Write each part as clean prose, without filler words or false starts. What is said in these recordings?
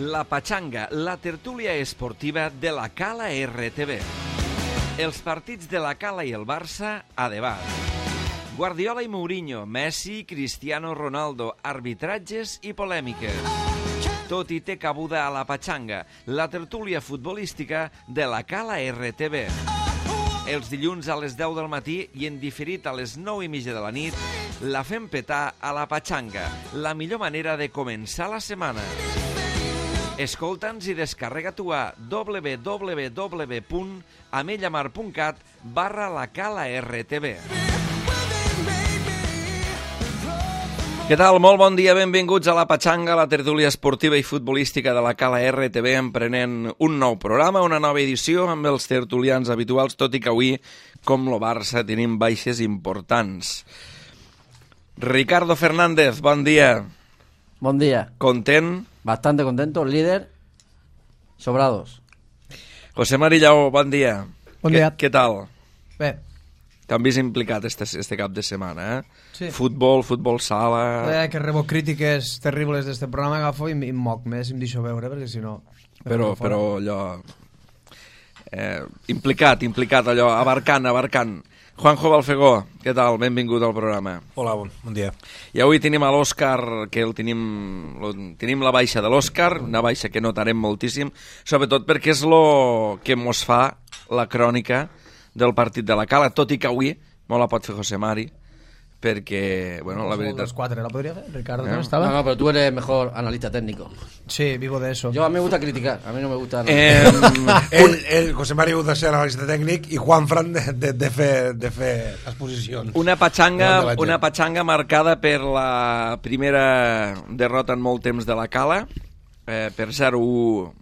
La Pachanga, la tertúlia esportiva de la Cala RTV. Els partits de la Cala i el Barça a debat. Guardiola i Mourinho, Messi, Cristiano Ronaldo, arbitratges i polèmiques. Tot hi té cabuda a la Pachanga, la tertúlia futbolística de la Cala RTV. Els dilluns a les 10 del matí i en diferit a les 9:30 de la nit, la fem petar a la Pachanga, la millor manera de començar la setmana. Escolta'ns i descarrega-t'ho a www.amellamar.cat/lacala-rtv. Què tal? Molt bon dia, benvinguts a la Pachanga, la tertúlia esportiva i futbolística de la Cala RTV, emprenent un nou programa, una nova edició amb els tertulians habituals, tot i que avui, com lo Barça, tenim baixes importants. Ricardo Fernández, bon dia. Bon dia. Content? Bastante contento, líder, sobrados. José Marillao, bon dia. Bon dia. Què tal? Bé. T'han vist implicat este cap de setmana, eh? Sí. Futbol sala... Que rebo crítiques terribles d'este programa, agafo i em moc més i em deixo veure, perquè si no... Però allò... implicat, allò, abarcant. Juanjo Balfegó, què tal? Benvingut al programa. Hola, bon dia. I avui tenim a l'Òscar, que tenim la baixa de l'Òscar, una baixa que notarem moltíssim, sobretot perquè és el que mos fa la crònica del partit de la Cala, tot i que avui me la pot fer José Mari, perquè, bueno, la veritat... Los 4, ¿la podría hacer? Ricardo, ¿no estaba? No, pero tú eres mejor analista técnico. Sí, vivo de eso. Yo a mí me gusta criticar, a mí no me gusta... José Mari ha de ser analista tècnic i Juanfran de fer exposicions. Una patxanga marcada per la primera derrota en molt temps de la Cala, per 0-1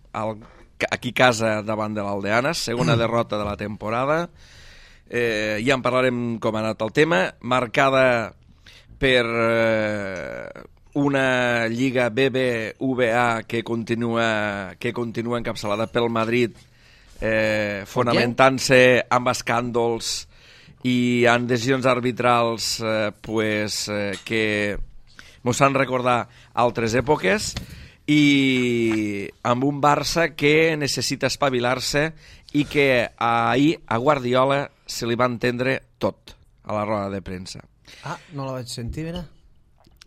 aquí a casa davant de l'Aldeanes, segona derrota de la temporada. Ja en parlarem com ha anat el tema, marcada per una Lliga BBVA que continua encapçalada pel Madrid, fonamentant-se amb escàndols i en decisions arbitrals que mos han recordat altres èpoques, i amb un Barça que necessita espavilar-se i que ahir a Guardiola se li va entendre tot a la roda de premsa. Ah, no la vaig sentir, mira.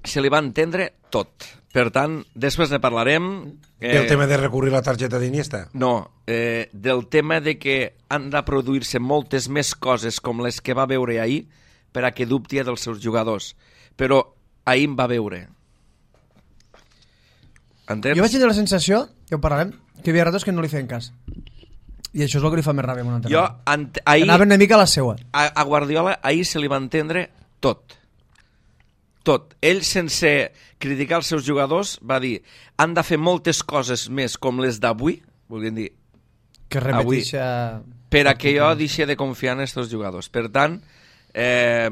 Se li va entendre tot. Per tant, després ne parlarem... Del tema de recurrir la targeta d'Iniesta? No, del tema de que han de produir-se moltes més coses com les que va veure ahir per a que dubti dels seus jugadors. Però ahir em va veure. Entens? Jo vaig tenir la sensació, que ho parlarem, que hi havia ratos que no li feien cas. I això és el que li fa més ràbia amb un entrenador. Anava una mica a la seua. A Guardiola ahir se li va entendre tot. Tot. Ell, sense criticar els seus jugadors, va dir han de fer moltes coses més com les d'avui, volien dir que repetixa... per a que jo deixi de confiar en aquests jugadors. Per tant, ell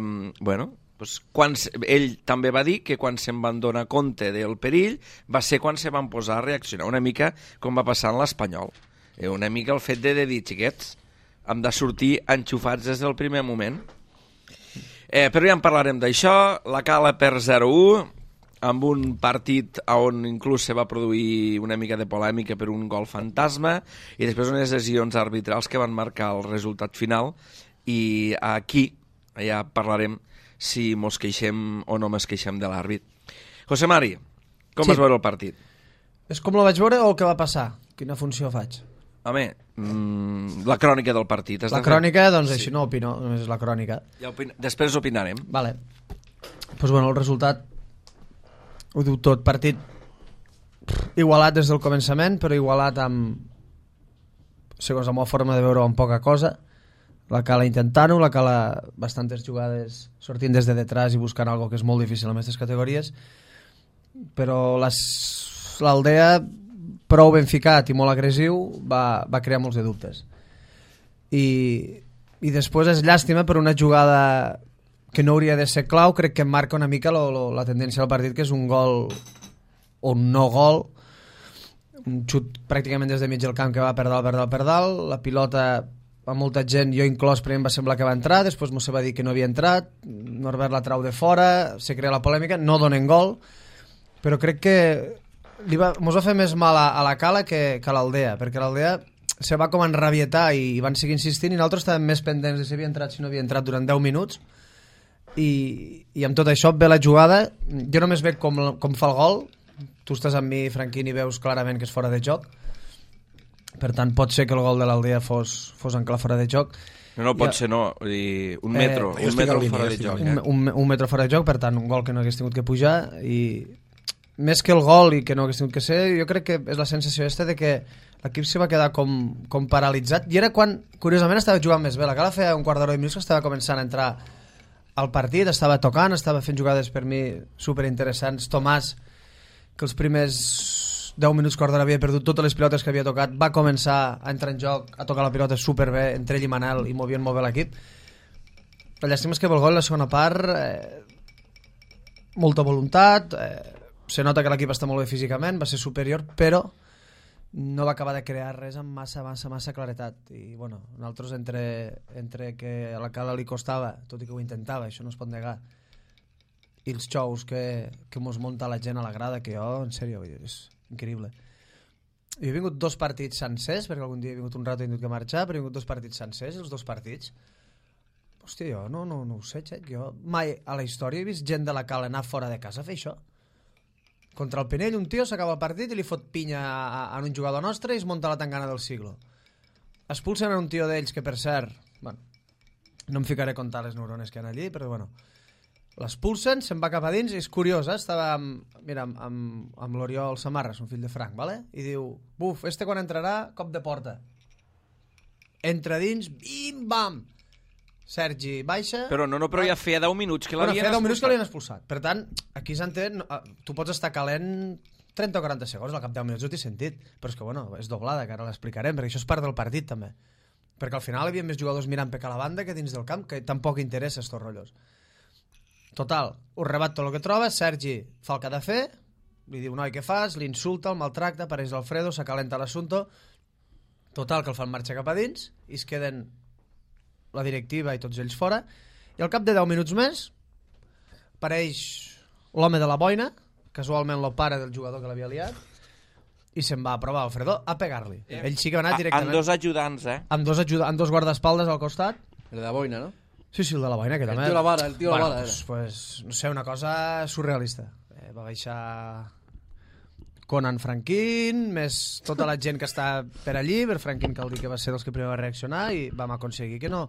també va dir que quan se'n van donar compte del perill va ser quan se van posar a reaccionar, una mica com va passar en l'Espanyol. Una mica el fet de dir, xiquets, hem de sortir enxufats des del primer moment. Però ja en parlarem d'això. La Cala per 0-1, amb un partit on inclús se va produir una mica de polèmica per un gol fantasma i després unes decisions arbitrals que van marcar el resultat final, i aquí ja parlarem si mos queixem o no mos queixem de l'àrbit. José Mari, com vas veure el partit? És com la vaig veure o el que va passar? Quina funció faig? Home, la crònica del partit. La crònica, doncs així no opino, només és la crònica. Després opinarem. Vale. Pues bueno, el resultat ho diu tot. Partit igualat des del començament, però igualat amb, segons la meva forma de veure, amb poca cosa. La Cala intentant-ho, la Cala bastantes jugades sortint des de detrás i buscant algo que és molt difícil en aquestes categories, però l'Aldea, prou ben ficat i molt agressiu, va crear molts de dubtes. I després és llàstima per una jugada que no hauria de ser clau, crec que marca una mica la tendència del partit, que és un gol o un no gol, un xut pràcticament des de mig del camp que va per dalt, la pilota a molta gent, jo inclòs, primer em va semblar que va entrar, després Mosse va dir que no havia entrat, Norbert la trau de fora, se crea la polèmica, no donen gol, però crec que mos va fer més mal a la Cala que a l'Aldea, perquè l'Aldea se va com enrabietar i van seguir insistint i nosaltres estàvem més pendents de si havia entrat, si no havia entrat durant 10 minuts i amb tot això ve la jugada, jo només veig com fa el gol, tu estàs amb mi, Franquín, i veus clarament que és fora de joc, per tant pot ser que el gol de l'Aldea fos en clar fora de joc. No, pot ser no, vull dir, un metro fora de joc. Un metro fora de joc, per tant, un gol que no hagués tingut que pujar, i més que el gol i que no hagués tingut que ser, jo crec que és la sensació de que l'equip se va quedar com paralitzat, i era quan, curiosament, estava jugant més bé. La Cala feia un quart d'hora i minuts que estava començant a entrar al partit, estava tocant, estava fent jugades per mi superinteressants. Tomàs, que els primers 10 minuts quart d'hora havia perdut totes les pilotes que havia tocat, va començar a entrar en joc, a tocar la pilota superbé entre ell i Manel, i movien molt bé l'equip. La llàstima és que el gol, la segona part, molta voluntat, se nota que l'equip està molt bé físicament, va ser superior, però no va acabar de crear res amb massa claretat. I bueno, nosaltres entre que a la Cala li costava, tot i que ho intentava, això no es pot negar, i els xous que mos munta la gent a la grada, que jo, en sèrio, és increïble. Jo he vingut 2 partits sencers, perquè algun dia he vingut un rato i he tingut que marxar, però he vingut 2 partits sencers, els 2 partits. Hòstia, jo no ho sé, Xec. Jo mai a la història he vist gent de la Cala anar fora de casa a fer això. Contra el Pinell, un tio s'acaba el partit i li fot pinya a un jugador nostre i es munta la tangana del siglo. Expulsen a un tio d'ells que, per cert, bueno, no em ficaré a contar les neurones que hi ha allí, però bueno, l'expulsen, se'n va cap a dins, i és curiós, estava amb l'Oriol Samarras, un fill de Frank, ¿vale? I diu, buf, quan entrarà, cop de porta. Entra dins, bim, bam! Sergi baixa... Però però ja feia 10 minuts que l'havien feia 10 minuts que l'havien expulsat. Per tant, aquí s'entén, tu pots estar calent 30 o 40 segons, al cap de 10 minuts no t'he sentit, però és que, bueno, és doblada, que ara l'explicarem, perquè això és part del partit, també. Perquè al final hi havia més jugadors mirant per a la banda que dins del camp, que tampoc interessa estos rotllos. Total, ho rebat tot el que troba, Sergi fa el que ha de fer, li diu, noi, què fas? L'insulta, el maltracta, apareix l'Alfredo, s'acalenta l'assumpte. Total, que el fan marxar cap a dins, i es queden la directiva i tots ells fora, i al cap de 10 minuts més apareix l'home de la boina, casualment el pare del jugador que l'havia liat, i se'n va a provar Alfredo a pegar-li. Ell sí que va anar directament... Amb 2 ajudants, amb dos guardaespaldes al costat. El de la boina, no? Sí, el de la boina, que també... El tio la vara, pues, no sé, una cosa surrealista. Va baixar Conan Franquín, més tota la gent que està per allí, per Franquín cal dir que va ser dels que primer va reaccionar, i vam aconseguir que no...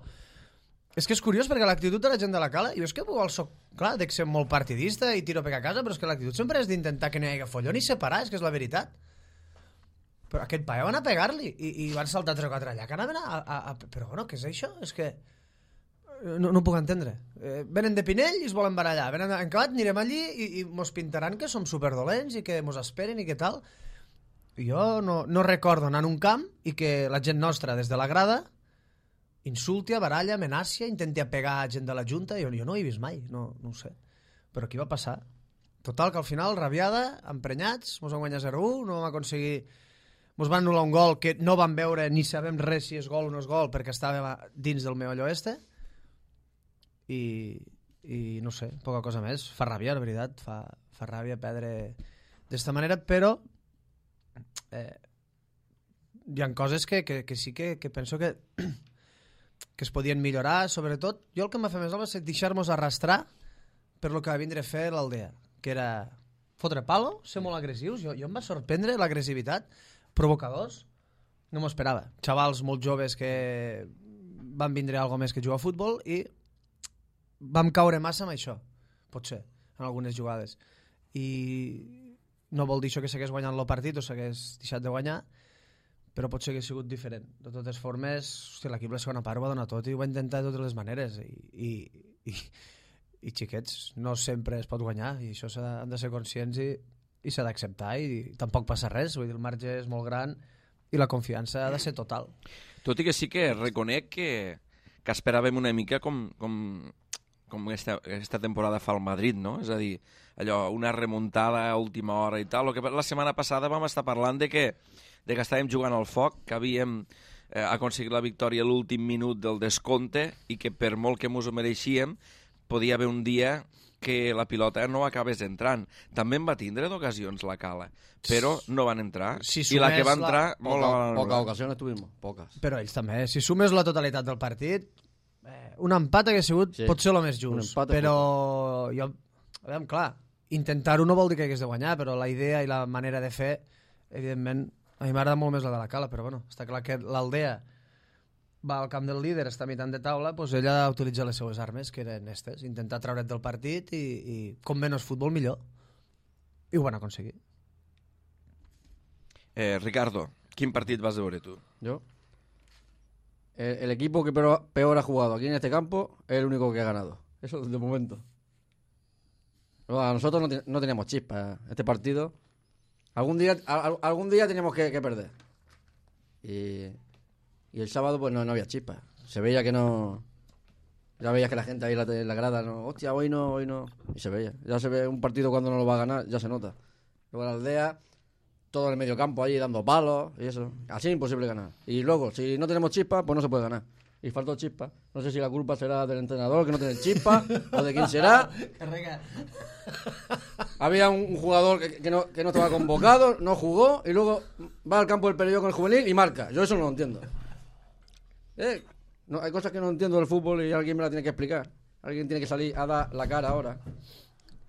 És que és curiós, perquè l'actitud de la gent de la Cala, jo és que igual soc, clar, dec ser molt partidista i tiro per a casa, però és que l'actitud sempre és d'intentar que no hi hagi folló ni separar, és que és la veritat. Però aquest paio van a pegar-li, i van saltar 3 o 4 allà, que anaven Però bueno, què és això? És que... No ho puc entendre. Venen de Pinell i es volen barallar. Venen en acabat, anirem allí i mos pintaran que som superdolents i que mos esperen i que tal. Jo no recordo anar a un camp i que la gent nostra des de la grada insulti, baralla, amenacia, intenti pegar gent de la Junta. Jo no ho he vist mai, no ho sé. Però aquí va passar. Total, que al final, rabiada, emprenyats, mos van guanyar 0-1, no vam aconseguir... Mos van anul·lar un gol que no vam veure ni sabem res si és gol o no és gol, perquè estava dins del meollo este. I no sé, poca cosa més. Fa ràbia, la veritat, fa ràbia perdre d'esta manera, però hi ha coses que sí que penso que es podien millorar. Sobretot, jo el que em va fer més mal va ser deixar-nos arrastrar per lo que va vindre a fer l'Aldea, que era fotre palo, ser molt agressius. Jo em va sorprendre l'agressivitat, provocadors, no m'ho esperava. Xavals molt joves que van vindre a algo més que jugar a futbol, i vam caure massa amb això, potser, en algunes jugades. I no vol dir això que s'hagués guanyat el partit o s'hagués deixat de guanyar, però potser hagués sigut diferent. De totes formes, l'equip la segona part ho va donar tot i ho va intentar de totes les maneres. I xiquets, no sempre es pot guanyar, i això han de ser conscients i s'ha d'acceptar, i tampoc passa res. Vull dir, el marge és molt gran i la confiança ha de ser total. Tot i que sí que reconec que esperàvem una mica com aquesta temporada fa el Madrid, no? És a dir, allò, una remuntada a última hora i tal. La setmana passada vam estar parlant de que estàvem jugant al foc, que havíem aconseguit la victòria a l'últim minut del descompte i que per molt que mos ho mereixíem podia haver un dia que la pilota no acabés entrant. També en va tindre d'ocasions la Cala, però no van entrar. Si I la que va entrar, molt la van Pocas anul·lar. ocasiones tuvimos, pocas. Però ells també, si sumes la totalitat del partit, un empat hagués sigut potser el més just, però jo, aviam, clar, intentar-ho no vol dir que hagués de guanyar, però la idea i la manera de fer, evidentment, a mi m'agrada molt més la de la Cala, però bueno, està clar que l'Aldea va al camp del líder, està mitjant de taula, doncs ella utilitza les seues armes, que eren estes, intentar treure't del partit i com menys futbol millor. I ho van aconseguir. Ricardo, quin partit vas veure tu? Yo. El equipo que peor ha jugado aquí en este campo es el único que ha ganado. Eso de momento. Pero a nosotros no teníamos chispa este partido. Algún día teníamos que perder. Y el sábado pues no había chispa. Se veía que no... Ya veías que la gente ahí en la grada, no, hostia, hoy no. Y se veía. Ya se ve un partido cuando no lo va a ganar, ya se nota. Luego la Aldea, todo en el medio campo ahí dando palos y eso. Así es imposible ganar. Y luego, si no tenemos chispa, pues no se puede ganar. Y faltó chispa. No sé si la culpa será del entrenador que no tiene chispa o de quién será. Había un jugador que no estaba convocado, no jugó y luego va al campo del Perelló con el juvenil y marca. Yo eso no lo entiendo. No, hay cosas que no entiendo del fútbol y alguien me la tiene que explicar. Alguien tiene que salir a dar la cara ahora.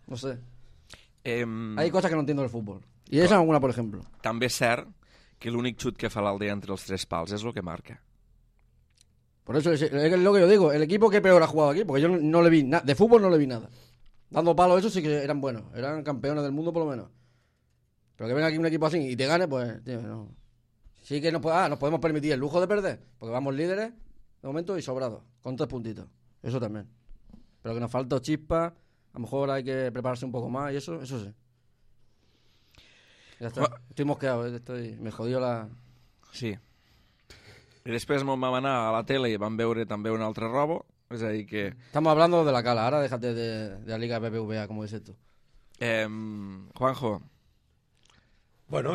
No sé. Hay cosas que no entiendo del fútbol. Y esa es una, por ejemplo. També és cert que l'únic xut que fa l'Aldea entre els tres pals és el que marca. Por eso es lo que yo digo. El equipo que peor ha jugado aquí, porque yo no le vi nada. De fútbol no le vi nada. Dando palos, eso sí que eran buenos. Eran campeones del mundo por lo menos. Pero que venga aquí un equipo así y te gane, pues... Tío, no. Sí que nos podemos permitir el lujo de perder, porque vamos líderes de momento y sobrados, con 3 puntitos. Eso también. Pero que nos falta chispa, a lo mejor hay que prepararse un poco más y eso sí. Ya está. Estoy mosqueado, me jodió la... Sí. I després vam anar a la tele i vam veure també un altre robo, és a dir que... Estamos hablando de la Cala, ahora déjate de la Liga BBVA, como dices tú. Juanjo. Bueno,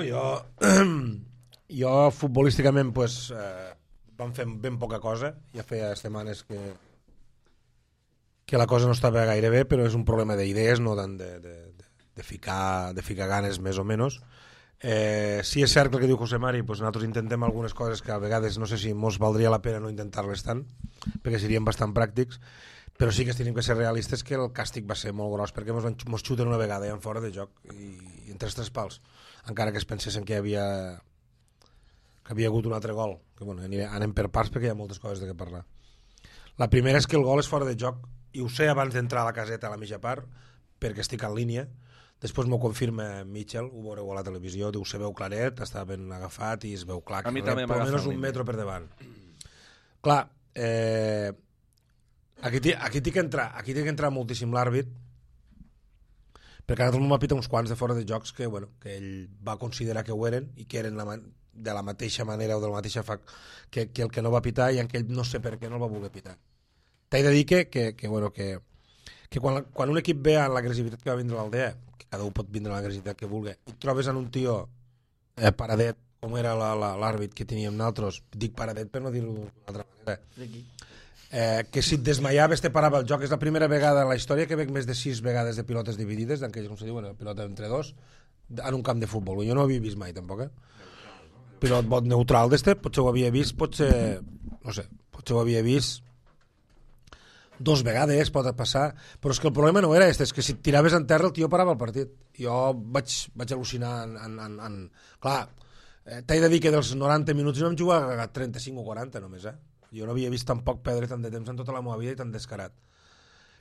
jo futbolísticament pues, vam fer ben poca cosa, ja feia setmanes que la cosa no estava gaire bé, però és un problema d'idees, no tant de ficar ganes més o menys. Sí és cert que el que diu José Mari, pues nosaltres intentem algunes coses que a vegades no sé si mos valdria la pena no intentar-les tant, perquè serien bastant pràctics, però sí que tenim que ser realistes que el càstig va ser molt gros, perquè mos xuten una vegada i en fora de joc i entre els tres pals, encara que es pensessin que havia hagut un altre gol, que bueno, anem per parts perquè hi ha moltes coses de què parlar. La primera és que el gol és fora de joc i ho sé abans d'entrar a la caseta a la mitja part perquè estic en línia. Després m'ho confirma Mitchell, ho veureu a la televisió, diu se veu claret, està ben agafat i es veu clar que rep per almenys un metro per davant. Clar, aquí té que entrar moltíssim l'àrbit, perquè ara tothom m'ha pitat uns quants de fora de jocs que ell va considerar que ho eren i que eren de la mateixa manera o de la mateixa que el que no va pitar i en què ell no sé per què no el va voler pitar. T'he de dir que quan un equip ve a l'agressivitat que va vindre l'Aldea, que cada un pot vindre l'agressivitat que vulgui, i trobes en un tio paradet, com era l'àrbit que teníem nosaltres, dic paradet per no dir-ho d'una altra manera, que si et desmaiaves te parava el joc. És la primera vegada en la història que veig més de 6 vegades de pilotes dividides, d'aquelles, com se diu, pilota entre dos, en un camp de futbol. Jo no ho havia vist mai, tampoc, Pilot bot neutral d'este, potser ho havia vist, potser ho havia vist 2 vegades, pot passar, però és que el problema no era és que si et tiraves en terra el tio parava el partit. Jo vaig al·lucinar Clar, t'he de dir que dels 90 minuts no vam jugar a 35 o 40 només, Jo no havia vist tampoc perdre tant de temps en tota la meva vida i tan descarat.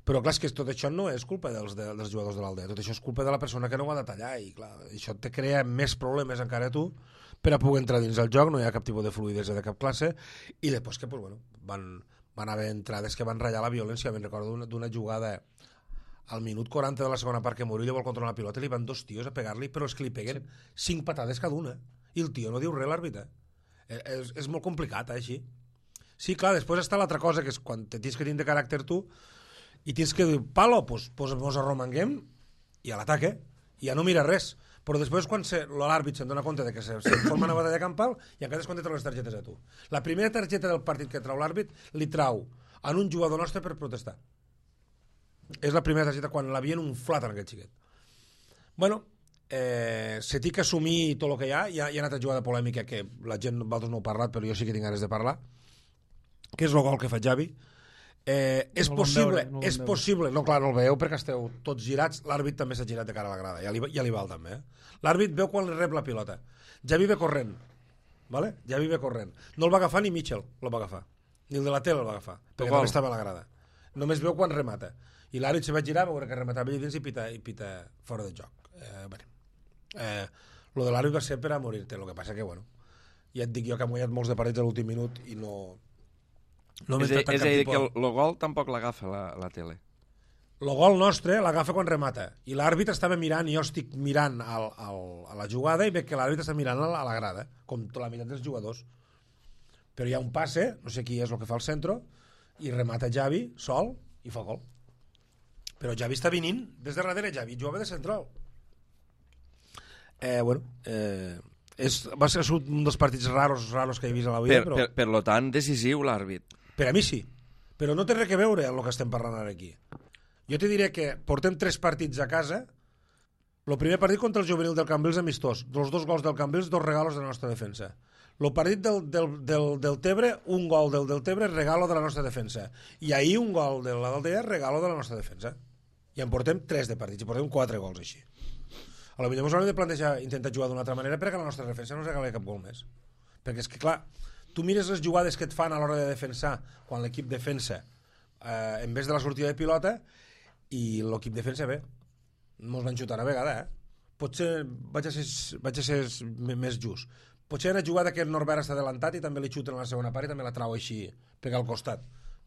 Però clar, és que tot això no és culpa dels jugadors de l'Aldea, tot això és culpa de la persona que no ho ha de tallar i clar, això te crea més problemes encara a tu per a poder entrar dins el joc, no hi ha cap tipus de fluidesa de cap classe i després que van haver entrades que van ratllar la violència. Me'n recordo d'una jugada al minut 40 de la segona part que Murillo vol controlar la pilota i li van 2 tios a pegar-li, però és que li peguen 5 patades cada una i el tio no diu res, l'àrbitre. És molt complicat, així. Sí, clar, després està l'altra cosa, que és quan tens que tenir de caràcter tu i tens que dir, palo, doncs mos arromanguem i a l'ataque, i ja no mira res. Però després quan l'àrbit se'n dona compte de que se forma una batalla campal i encara és quan te trau les targetes a tu. La primera targeta del partit que trau l'àrbit li trau en un jugador nostre per protestar. És la primera targeta quan l'havien unflat en aquest xiquet. Bueno, se té que assumir tot el que hi ha. Hi ha una jugada polèmica que la gent, vosaltres no heu parlat, però jo sí que tinc ganes de parlar, que és el gol que fa Xavi. És possible, no, clar, no el veieu perquè esteu tots girats, l'àrbit també s'ha girat de cara a la grada, ja li val també. L'àrbit veu quan rep la pilota. Xavi ve corrent, vale? Xavi ve corrent. No el va agafar ni Mitchell, el va agafar. Ni el de la tele el va agafar, perquè també estava a la grada. Només veu quan remata. I l'àrbit se va girar, va veure que rematava allà dins i pita fora de joc. Lo de l'àrbit va ser per a morir-te, el que passa que, bueno, ja et dic jo que hem guanyat molts de partits a l'últim minut i no és a dir, que el gol tampoc l'agafa la tele. El gol nostre l'agafa quan remata i l'àrbit estava mirant, i jo estic mirant a la jugada i veig que l'àrbit està mirant a la grada, com la meitat dels jugadors, però hi ha un passe, no sé qui és el que fa el centre, i remata Xavi sol i fa gol. Però Xavi està venint des de darrere, Xavi jugava de central. Va ser un dels partits raros que he vist a la vida. Per lo tant, decisiu l'àrbit. Per a mi sí, però no té res a veure amb el que estem parlant ara aquí. Jo te diré que portem 3 partits a casa. El primer partit contra el juvenil del Cambrils amistós, dels 2 gols del Cambrils, 2 regalos de la nostra defensa. El partit del Tebre, un gol del Tebre, regalo de la nostra defensa. I ahir un gol de l'Aldea, regalo de la nostra defensa. I en portem 3 de partits, i portem 4 gols així. A lo millor ens haurem de plantejar intentar jugar d'una altra manera perquè la nostra defensa no ens regali cap gol més. Perquè és que, clar, tu mires les jugades que et fan a l'hora de defensar quan l'equip defensa en vez de la sortida de pilota, i l'equip defensa bé. Mos van xutar una vegada, Potser vaig a ser més just. Potser una jugada que el Norbert està adelantat i també li xuten a la segona part i també la trau així, pegar al costat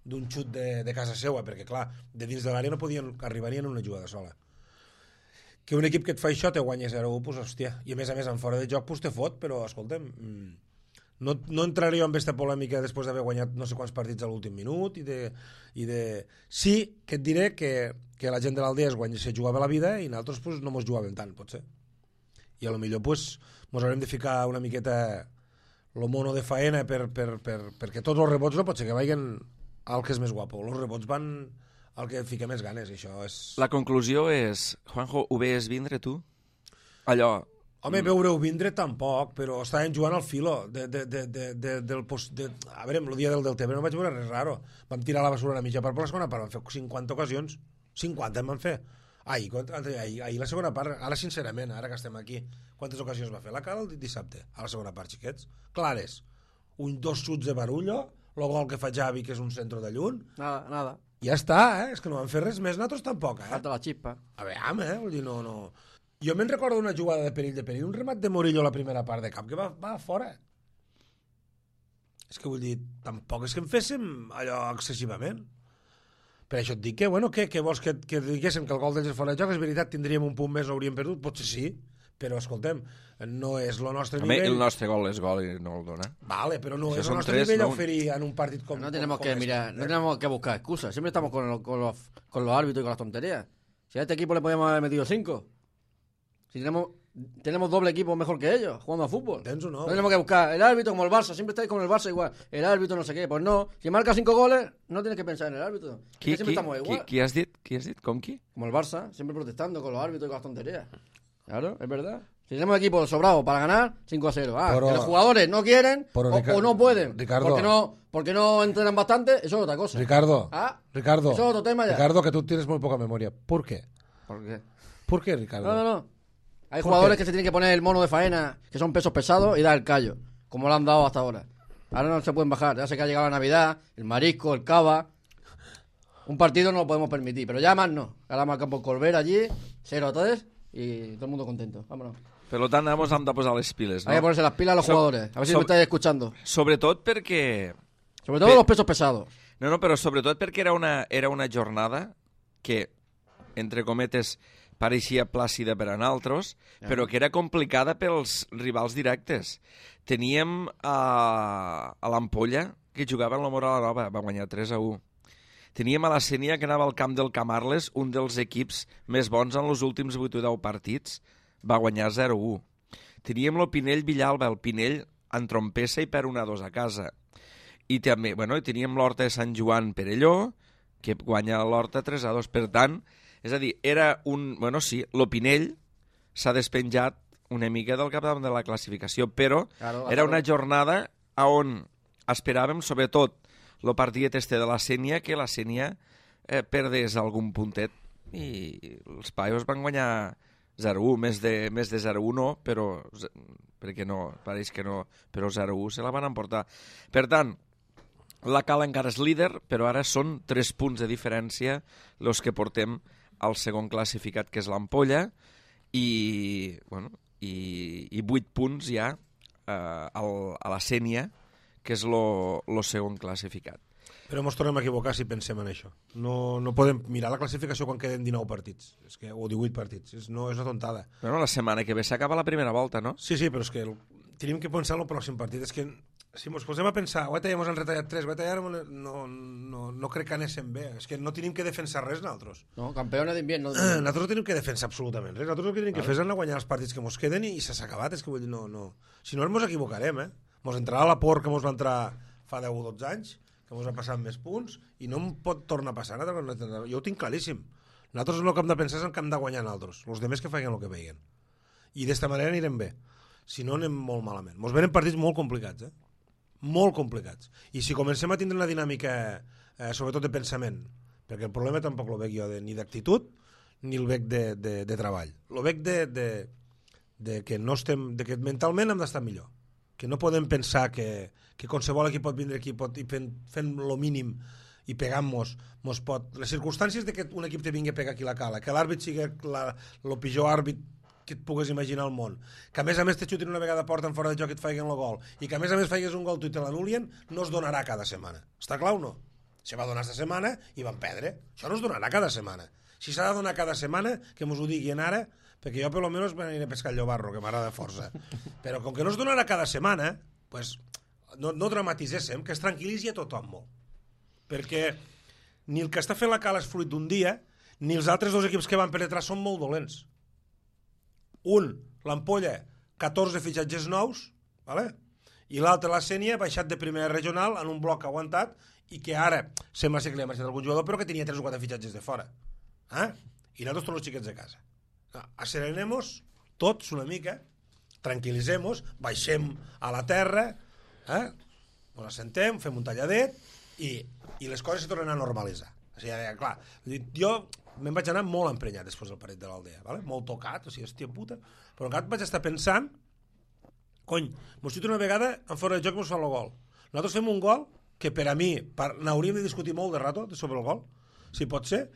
d'un xut de casa seua, perquè clar, de dins de l'àrea no podien arribar ni en una jugada sola. Que un equip que et fa això te guanya 0-1, pues hòstia, i a més en fora de joc pues te fot, però escolta'm, no entraré jo en aquesta polèmica després d'haver guanyat no sé quants partits a l'últim minut sí que et diré que la gent de l'Aldea se jugava la vida i nosaltres pues, no mos jugàvem tant, potser. I a lo millor pues, mos haurem de ficar una miqueta lo mono de faena perquè tots els rebots no pot ser que vagin al que és més guapo, els rebots van al que fica més ganes, i això és... La conclusió és, Juanjo, ho veies vindre tu? Allò... Home, veure-ho vindre tampoc, però estaven jugant al filo a veure, el dia del Tebre no vaig veure res raro, vam tirar la basura a la mitja part per la segona part, vam fer 50 ocasions, 50 en van fer. Ahir la segona part, ara sincerament, ara que estem aquí, quantes ocasions va fer? La cara el dissabte, a la segona part, xiquets, clares, 2 xuts de Barullo, el gol que fa Xavi, que és un centre de lluny, Nada. Ja està, és que no van fer res més, nosaltres tampoc, Falta la xispa. A veure, vull dir, no... Jo me'n recordo una jugada de perill, un remat de Morillo a la primera part de camp, que va fora. És que vull dir, tampoc és que en féssim allò excessivament. Per això et dic que, bueno, què vols que diguéssim que el gol d'ells és fora de joc? És veritat, tindríem un punt més, l'hauríem perdut? Potser sí, però escoltem, no és el nostre nivell. El nostre gol és gol i no el dona. Vale, pero no es el nostre nivell a oferir en un partido como no tenemos que mirar, no tenemos que buscar excusas. Siempre estamos con los árbitros y con las tonterías. Si a este equipo le podíamos haber metido 5. Si tenemos doble equipo mejor que ellos, jugando a fútbol. No tenemos que buscar el árbitro como el Barça. Siempre estáis con el Barça igual. El árbitro no sé qué. Pues no. Si marca 5 goles, no tienes que pensar en el árbitro. Siempre estamos igual. ¿Qui has dit? ¿Con qui? Como el Barça. Siempre protestando con los árbitros y con las tonterías. Claro, es verdad. Si tenemos equipo sobrado para ganar, 5-0. Que los jugadores no quieren o no pueden. Ricardo, porque no entrenan bastante, eso es otra cosa. Ricardo, eso es otro tema ya. Ricardo, que tú tienes muy poca memoria. ¿Por qué? ¿Por qué, Ricardo? No. Hay jugadores que se tienen que poner el mono de faena, que son pesos pesados, y dar el callo, como lo han dado hasta ahora. Ahora no se pueden bajar. Ya sé que ha llegado la Navidad, el marisco, el cava. Un partido no lo podemos permitir, pero ya más no. Ahora marcamos Colbert allí, 0-3, y todo el mundo contento. Vámonos. Per tant, vamos hem de posar les piles, no? Hay que ponerse las pilas a los jugadores. A ver si me estáis escuchando. Sobretot perquè... Sobre todo los pesos pesados. No, però sobretot perquè era una jornada que, entre cometes, pareixia plàcida per a nosaltres, però que era complicada pels rivals directes. Teníem a l'Ampolla, que jugava en la Moral Nova, va guanyar 3-1. Teníem a la Sénia, que anava al camp del Camarles, un dels equips més bons en els últims 8 o 10 partits, va guanyar 0-1. Teníem el Pinell Villalba, el Pinell en trompessa i per 1-2 a casa. I també, teníem l'Horta de Sant Joan Perelló, que guanya l'Horta 3-2. Per tant, és a dir, era un... Bueno, sí, l'Opinell s'ha despenjat una mica del capdavant de la classificació, però era una jornada on esperàvem, sobretot, el partit este de la Sénia, que la Sénia perdés algun puntet, i els Paios van guanyar 0-1, més de 0-1 no, però perquè no, pareix que no, però 0-1 se la van emportar. Per tant, la Cala encara és líder, però ara són 3 punts de diferència els que portem al segon classificat, que és l'Ampolla, i 8 punts ja a la Sénia, que és el segon classificat. Però ens tornem a equivocar si pensem en això. No podem mirar la classificació quan queden 19 partits, o 18 partits. És una tontada. Bueno, la setmana que ve s'acaba la primera volta, no? Sí, però és que tenim que pensar en el pròxim partit. És que si ens posem a pensar, ja ens han retallat 3, no crec que anéssim bé. És que no tenim que defensar res nosaltres. No, campeona d'invierno. Nosaltres no tenim que defensar absolutament res. Nosaltres el que tenim que fer és anar a guanyar els partits que ens queden i s'ha acabat. És que vull dir, no. Si no, ens equivocarem, Ens entrarà la por que ens va entrar fa 10 o 12 anys, que ens ha passat més punts, i no em pot tornar a passar. Jo ho tinc claríssim. Nosaltres el que hem de pensar és el que hem de guanyar nosaltres. Els demés que facin el que vegin. I d'esta manera anirem bé. Si no, anem molt malament. Ens venen partits molt complicats, molt complicats. I si comencem a tindre una dinàmica, sobretot de pensament, perquè el problema tampoc el veig jo ni d'actitud ni el veig de treball. El veig de que no estem, de que mentalment hem d'estar millor. Que no podem pensar que qualsevol equip pot vindre aquí i fent lo mínim i pegant-nos pot... Les circumstàncies de que un equip te vingui a pegar aquí la Cala, que l'àrbit sigui el pitjor àrbit que et pugues imaginar al món, que a més te xutin una vegada a porta en fora de joc i et faiguen el gol, i que a més faigues un gol tu i te l'anulien, no es donarà cada setmana. Està clar o no? Se va donar esta setmana i van perdre. Això no es donarà cada setmana. Si s'ha de donar cada setmana, que mos ho diguin ara, perquè jo per lo menos m'aniré a pescar el llobarro, que m'agrada força. Però com que no es donarà cada setmana, pues, no dramatitzéssim, que es tranquil·litzi a tothom molt. Perquè ni el que està fent la Cala és fruit d'un dia, ni els altres dos equips que van penetrar són molt dolents. L'Ampolla, 14 fitxatges nous, ¿vale? I l'altre, la Sénia, baixat de primera regional en un bloc aguantat i que ara sembla ser que li ha marxat algun jugador, però que tenia 3 o 4 fitxatges de fora. I nosaltres tots els xiquets de casa. Asserenem-nos tots una mica, tranquil·litzem-nos, baixem a la terra, ens assentem, fem un talladet i les coses se tornen a normalitzar. O sigui, clar, jo me'n vaig anar molt emprenyat després del partit de l'Aldea, ¿vale? Molt tocat, o sigui, hòstia puta, però encara vaig estar pensant, mos xuta una vegada en fora de joc i mos fa el gol. Nosaltres fem un gol que per a mi n'hauríem de discutir molt de rato sobre el gol, si pot ser.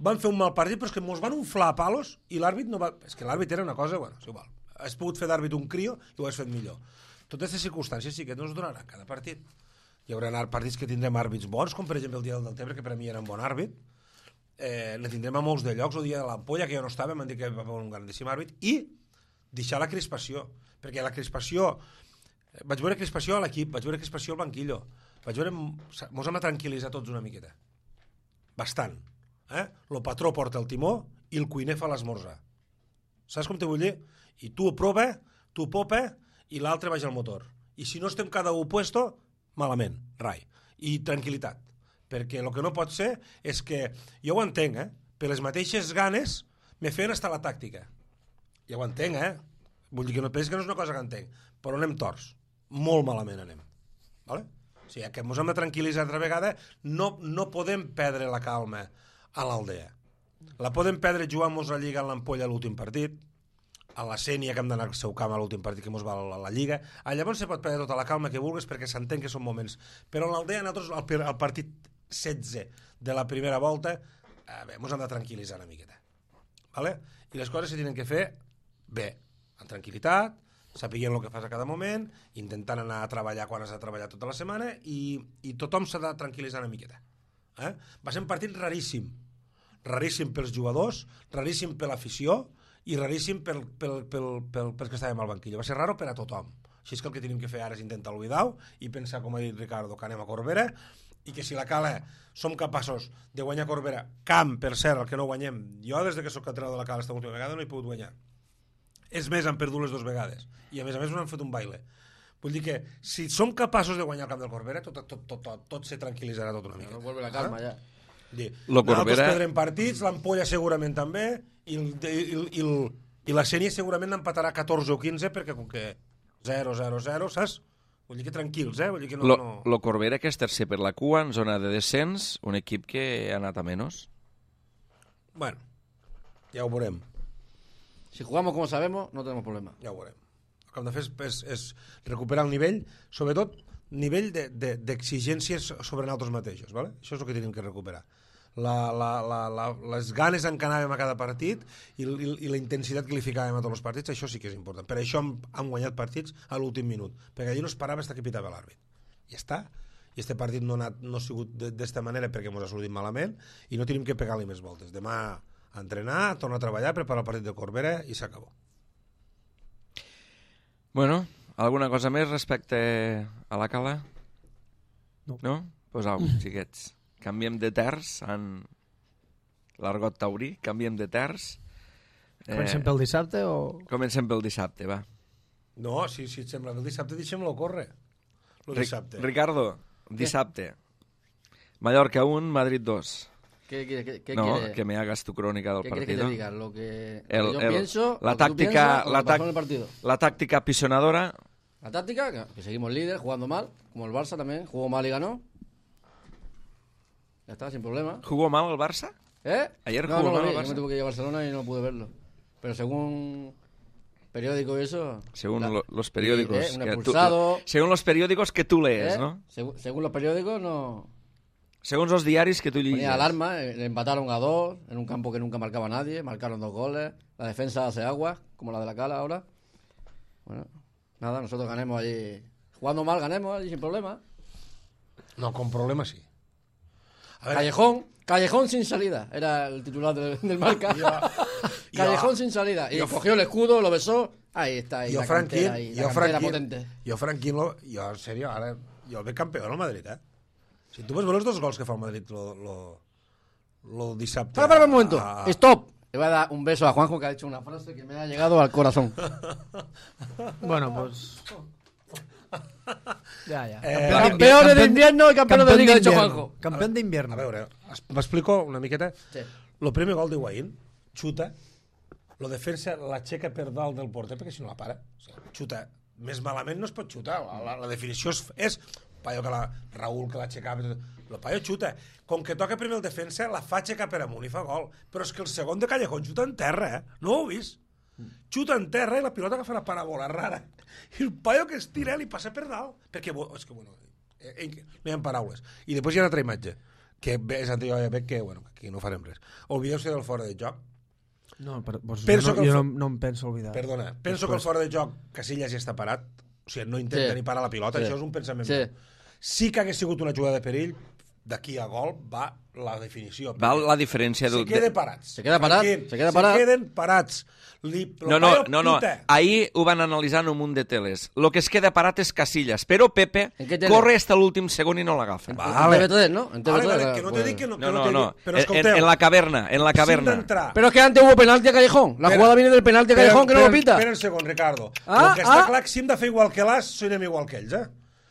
Van fer un mal partit, però és que mos van unflar a palos i l'àrbit no va... És que l'àrbit era una cosa, bueno, és igual. Has pogut fer d'àrbit un crio i ho has fet millor. Totes aquestes circumstàncies sí que no es donaran cada partit. Hi haurà partits que tindrem àrbits bons, com per exemple el dia del Deltebre, que per a mi era un bon àrbit. Ne tindrem a molts de llocs, el dia de l'Ampolla, que jo no estava, m'han dit que va haver un grandíssim àrbit, i deixar la crispació, perquè la crispació... Vaig veure crispació a l'equip, vaig veure crispació al banquillo, vaig veure... Mos hem de tranquil·litzar tots una miqueta. Bastant. El patró porta el timó i el cuiner fa l'esmorzar. Saps com te vull dir? I tu prova, tu popa i l'altre baixa al motor. I si no estem cada un puesto, malament, rai. I tranquil·litat. Perquè el que no pot ser és que, jo ho entenc, per les mateixes ganes me feien estar la tàctica. Ja ho entenc, vull dir que no és una cosa que entenc, però anem torts. Molt malament anem. Vale? O sigui, que ens hem de tranquil·litzar altra vegada, no podem perdre la calma a l'Aldea. La podem perdre jugant-nos la Lliga en l'Ampolla a l'últim partit, a la Sénia que hem d'anar al seu camp a l'últim partit que ens va a la Lliga. Llavors se pot perdre tota la calma que vulguis perquè s'entén que són moments. Però en l'Aldea nosaltres al partit 16 de la primera volta ens hem de tranquil·litzar una miqueta. ¿Vale? I les coses se tenen que fer bé, amb tranquil·litat, sapiguent el que fas a cada moment, intentant anar a treballar quan has de treballar tota la setmana i tothom s'ha de tranquil·litzar una miqueta. Va ser un partit raríssim pels jugadors, raríssim per l'afició i raríssim pels que estàvem al banquillo. Va ser raro per a tothom. Així és que el que tenim que fer ara és intentar oblidar-ho i pensar, com ha dit Ricardo, que anem a Corbera i que si la Cala som capaços de guanyar Corbera, camp, per cert, el que no guanyem, jo des que soc entrenador de la Cala esta última vegada no he pogut guanyar. És més, han perdut les 2 vegades i a més no han fet un baile. Vull dir que si som capaços de guanyar el camp del Corbera tot se tranquil·litzarà tot una mica. No vuelve la calma ja. Nosaltres perdrem partits, l'Ampolla segurament també, i la Sénia segurament empatarà 14 o 15, perquè com que 0-0-0, saps? Vull dir que tranquils, Vull dir que no... Lo Corbera, que és tercer per la cua, en zona de descens, un equip que ha anat a menys. Bueno, ja ho veurem. Si jugamos como sabemos, no tenemos problema. Ja ho veurem. El que hem de fer és recuperar el nivell, sobretot nivell d'exigències sobre nosaltres mateixos, ¿vale? Això és el que tenim que recuperar. Les ganes en què anàvem a cada partit i la intensitat que li ficàvem a tots els partits, això sí que és important. Per això hem guanyat partits a l'últim minut, perquè allí no es parava fins que pitava l'àrbit. I està. I este partit no ha sigut d'esta manera perquè ens ha sortit malament i no tenim que pegar-li més voltes. Demà a entrenar, a tornar a treballar, preparar el partit de Corbera i s'acabó. Bueno, alguna cosa més respecte a la Cala? No? Pues au, xiquets. Canviem de terç en l'argot taurí, canviem de terç. Comencem pel dissabte o...? Comencem pel dissabte, va. No, si et sembla, el dissabte deixem-lo córrer. Dissabte. Ricardo, dissabte. Mallorca 1, Madrid 2. ¿Qué No, quiere? que me hagas tu crónica del ¿Qué partido. quieres que te diga? Lo que yo pienso, la lo que tú táctica, piensas, o lo que pasó en el partido. la táctica apisonadora. La táctica, que seguimos líder, jugando mal, como el Barça también, jugó mal y ganó. Ya está, sin problema. ¿Jugó mal el Barça? Ayer no, jugó no lo mal vi, el yo Barça. me tuve que ir a Barcelona y no pude verlo. Pero según periódico y eso... Según los periódicos. Un que expulsado... según los periódicos que tú lees, ¿no? Según los periódicos, no... Según los diarios que tú lees. Ponía alarma, le empataron a 2, en un campo que nunca marcaba nadie, marcaron 2 goles, la defensa hace agua, como la de la Cala ahora. Bueno, nada, nosotros ganemos allí, jugando mal ganemos allí sin problema. No, con problema sí. A ver, Callejón sin salida, era el titular del Marca. Callejón sin salida, y cogió el escudo, lo besó, ahí está, ahí la cantera potente. Jo, Franquín, en sèrio, ara, jo el veig campió al Madrid, Si tu vas veure els 2 gols que fa el Madrid lo dissabte... Para un momento, stop. Le voy a dar un beso a Juanjo, que ha dicho una frase que me ha llegado al corazón. Bueno, pues... Ya. Campeones de invierno y campeones de liga, ha dicho Juanjo. Campeón de invierno. A veure, m'explico una miqueta. Sí. Lo primer gol d'Higuaín, xuta, lo defensa l'aixeca per dalt del porter, perquè si no la para. O sigui, xuta. Més malament no es pot xutar. La definició és Paio que Raúl que l'aixecava, el Paio xuta. Com que toca primer el defensa, la fa aixecar per amunt i fa gol. Però és que el segon de Callejón xuta en terra, No ho heu vist? Xuta en terra i la pilota que fa una paràbola rara. I el Paio que es tira li passa per dalt. Perquè, és que, bueno, no hi ha paraules. I després hi ha una altra imatge, que és anterior, ja veig que, bueno, aquí no farem res. Oblideu-se del fora de joc. No, pues Penso que jo no em penso olvidar. Perdona, penso que el fora de joc Casillas ja està parat, o sigui, no intenta ni parar la pilota, això és un pensament meu. Sí que hagués sigut una jugada de perill, d'aquí a gol va la definició. Va la diferència... Se queda parats. Se queda parat. Se queden parats. No. Ahir ho van analitzar en un munt de teles. Lo que es queda parat és Casillas, però Pepe corre hasta l'últim segon i no l'agafa. Vale. En TV3, ¿no? En TV3, vale, que no te dic que no. No. Però escolteu. En la caverna. Pero es que antes hubo penalti a Callejón. La jugada viene del penalti a Callejón, que no lo pita. Espera un segon, Ricardo. El que està clar que si hem de fer igual que l'As, sonem igual que ells,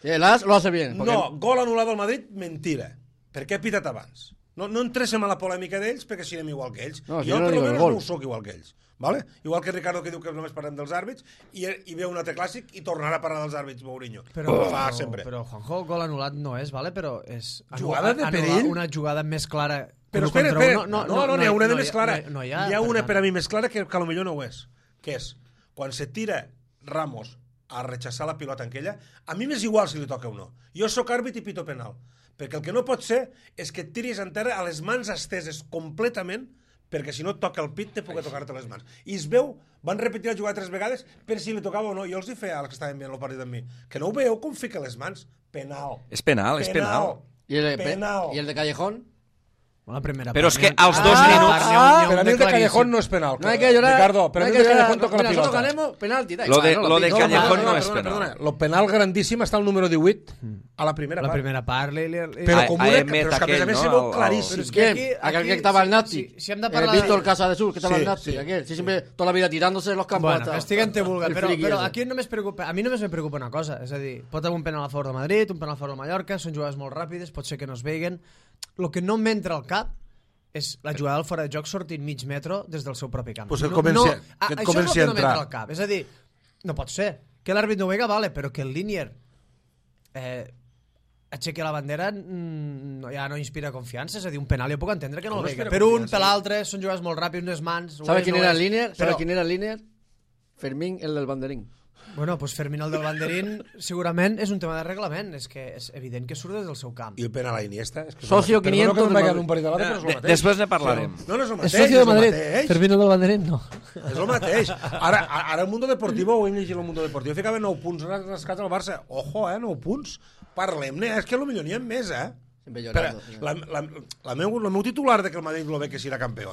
Sí, el As lo hace bien. No, gol anul·lat al Madrid, mentira. Per què ha pitat abans? No entréssim a la polèmica d'ells perquè siguem igual que ells. No, jo, per almenys, no ho soc igual que ells. Vale? Igual que Ricardo, que diu que només parlem dels àrbits, i ve un altre clàssic i tornarà a parlar dels àrbits, Mourinho. Però fa sempre. Però, Juanjo, gol anul·lat no és, vale? Però és... Jugada de perill? Una jugada més clara... Però espera. No, n'hi ha una de més clara. Hi ha una per a mi més clara que potser no ho és. Que és, quan se tira Ramos a rechaçar la pilota en aquella, a mi m'és igual si li toca o no. Jo sóc àrbit i pito penal. Perquè el que no pot ser és que et tiris en terra a les mans esteses completament, perquè si no et toca el pit te pugui tocar-te les mans. I es veu, van repetir la jugada 3 vegades per si li tocava o no. Jo els hi feia als que estaven veient el partit amb mi. Que no ho veieu com fica les mans? Penal. És penal. ¿Y el de Callejón? La primera però és que als 2 minuts... Per a mi el de Callejón no és penal. No hay que llorar. Ricardo, per a mi el de Callejón toca la Nosotros pilota. ganemos penalti. Lo de Callejón no és penal. Perdona, lo penal grandíssim està al número 18 a la primera part. La primera part... Però com una... Però és que a més a més se veu claríssim. Aquel que estaba el Nati. Si hem de parlar... Víctor Casa de Sur, que estaba el Nati. Aquel, sí, siempre toda la vida tirándose en los campos. Bueno, estiguen-te vulgar. Però aquí només preocupa... A mi només me preocupa una cosa. És a dir, pot haver un penal a favor de Madrid, un penal a favor de Mallorca, són jugades molt ràpides, pot ser que no es veguen. el que no m'entra al cap és la jugada del fora de joc sortint mig metro des del seu propi camp. Pues que comenci a això és el que no entrar. m'entra al cap. És a dir, no pot ser. Que l'àrbit no ho vega, vale, però que el línier aixequi la bandera ja no inspira confiança. És a dir, un penal jo puc entendre que no el vega. Per un, per l'altre, són jugades molt ràpids, unes mans... ¿Sabe quién era el líder? ¿Sabe quién era el líder? Fermín, el del banderín. Bueno, pues Fermín el del banderín segurament és un tema de reglament, és que és evident que surt des del seu camp. I el penal a Iniesta? És que Socio 500 del del Madrid. Madrid. Un parell de vegades, però és el mateix. Després ne parlarem. No, no és el mateix. És socio de és el Madrid. mateix. Fermín el del banderín, no. És el mateix. Ara el Mundo Deportivo, ho hem llegit el Mundo Deportivo, ficava 9 punts rascats al Barça. Ojo, 9 punts. Parlem-ne, és que potser n'hi ha més, Sempre Però llorando. el meu titular de que el Madrid lo ve que serà campió,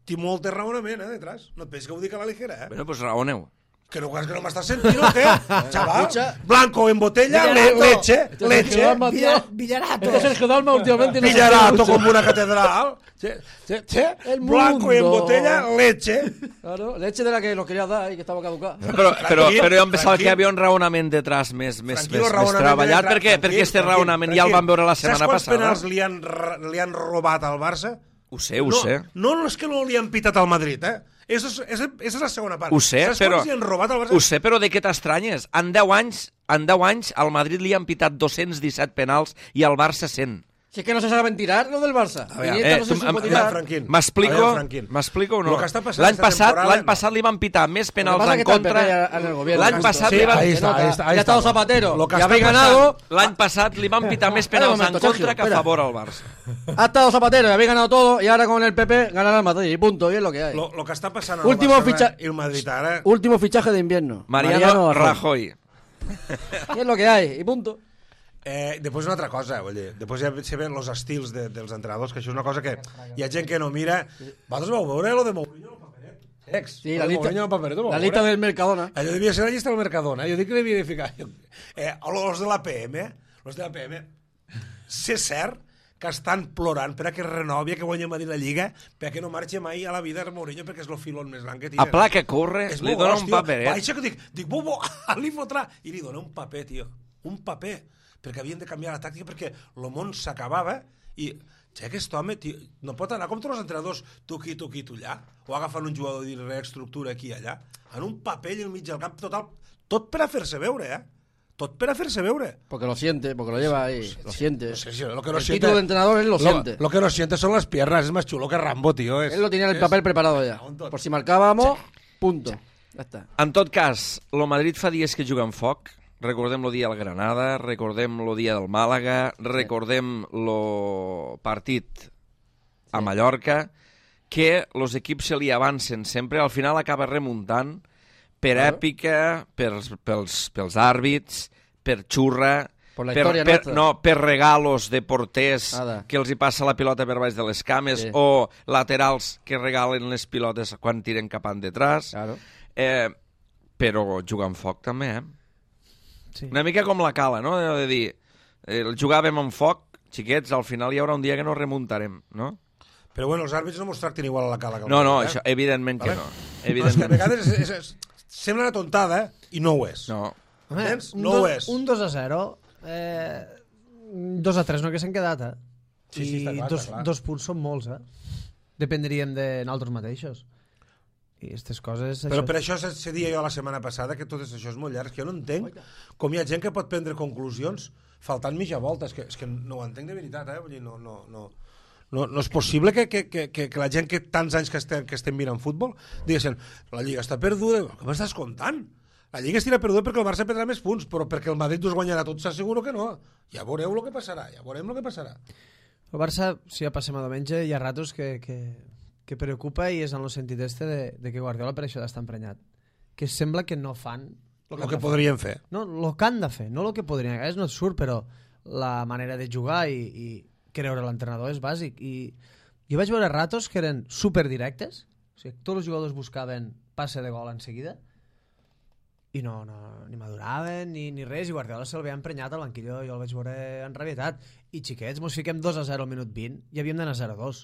té molt de raonament, detrás. No et pensis que ho dic a la ligera, Bueno, pues raoneu. Que no m'estàs sentint o què? Chaval, Escucha. Blanco en botella, leche, Villarato. Sergio Dalma últimamente no Villarato como una catedral. El Blanco en mundo. botella, leche. Claro, leche de la que lo quería dar y que estaba caducada. Però jo em pensava tranquil. que hi havia un raonament detrás més Tranquilo, raonament treballat, detrás, perquè este raonament ja el vam veure la setmana Saps quants passada. penals li han robat al Barça? Ho sé. No és que no li han pitat al Madrid, Esa és la segona part. Ho sé, Saps però... quants li han robat al Barça? Ho sé, però de què t'estranyes? En 10 anys al Madrid li han pitat 217 penals i al Barça 100. Si es que no se saben tirar lo del Barça. A ver, Iniesta no se supo tirar. Franquín. M'explico o no? Lo que està passant L'any esta temporada, passat li van pitar més Lo que penals pasa es en que está el contra. PP en el gobierno. L'any passat Sí, li van... ahí está. Ya ha estado Zapatero. Lo que Ya està habéis passant- ganado. L'any passat li van pitar més penals momento, en contra Sergio, que a espera. favor al Barça. Ha estado Zapatero, ya habéis ganado todo y ahora con el PP ganará el Madrid. Y punto, y es lo que hay. Lo que està passant al Último Barça ficha- i el Madrid ara... Último fichaje de invierno. Mariano Rajoy. Y es lo que hay, y punto. Després una altra cosa, vull dir, després ja se ven els estils dels entrenadors, que això és una cosa que hi ha gent que no mira. Vosaltres vau veure lo de Mourinho al paperet? Sí, la lista, Mourinho al paperet, ho vau la lista veure? del Mercadona. Allò devia ser la llista del Mercadona, jo dic que devia de ficar. Els de l'APM, sé cert que estan plorant per a que renovi, que guanyi a Madrid la Lliga, per a que no marxi mai a la vida el Mourinho, perquè és el filón més gran que A tira. pla que corre, És li molt dona gros, un tio. paperet. Baixa que dic, bobo, li fotrà. I li dona un paper, tio. Un paper. Perquè havien de canviar la tàctica perquè el món s'acabava i que aquest home, tio, no pot anar com tots els entrenadors tu aquí, tu allà, o agafant un jugador i reestructura aquí i allà, en un paper al mig del camp total, tot per a fer-se veure, tot per a fer-se veure. Porque lo siente, porque lo lleva ahí. Lo siente. No sé si lo que no El siente, título de entrenador él lo siente. Lo que no siente son las piernas, es más chulo que Rambo, tío. Él lo tenía en el papel preparado ya. Por si marcábamos, punto. Ya está. En tot cas, el Madrid fa dies que juga amb foc. Recordem el dia del Granada, recordem el dia del Màlaga, recordem el partit a Mallorca, que els equips se li avancen sempre, al final acaba remuntant per èpica, pels àrbits, per xurra, Per la història nostra. per regalos de porters Nada. que els hi passa la pilota per baix de les cames, Sí. o laterals que regalen les pilotes quan tiren cap endetrás. Claro. Però jugar amb foc també, Sí. Una mica com la Cala, no? De dir, jugàvem amb foc, xiquets, al final hi haurà un dia que no remuntarem, no? Però bueno, els àrbits no mos tracten igual a la Cala que al No, Madrid, això, evidentment que Vale? no. Però és que a Evidentment. vegades sembla una tontada, i no ho és. No. Entens? No ho és. Un 2-0, 2-3 no que s'han quedat, Sí, està clar, està clar. dos punts són molts, Dependríem de nosaltres mateixos. I aquestes coses... Però per això se dia jo la setmana passada que tot això és molt llarg, que jo no entenc com hi ha gent que pot prendre conclusions faltant mitja volta, és que no ho entenc de veritat, Vull dir, no és possible que la gent que tants anys que estem mirant futbol diguessin, la Lliga està perduda, què m'estàs contant? La Lliga estarà perduda perquè el Barça perdrà més punts, però perquè el Madrid us guanyarà tots, s'asseguro que no. Ja veureu el que passarà, El Barça, si ja passem a diumenge, hi ha ratos que preocupa i és en el sentit de que Guardiola per això d'estar emprenyat. Que sembla que no fan El que podrien fer. No, el que han de fer, no el que podrien. A vegades no et surt, però la manera de jugar i creure l'entrenador és bàsic. I jo vaig veure ratos que eren superdirectes, o sigui, tots els jugadors buscaven passe de gol en seguida, i no ni maduraven ni res, i Guardiola se'l veia emprenyat al banquillo, jo el vaig veure enrabietat. I xiquets, mos fiquem 2-0 al minut 20 i havíem d'anar 0-2.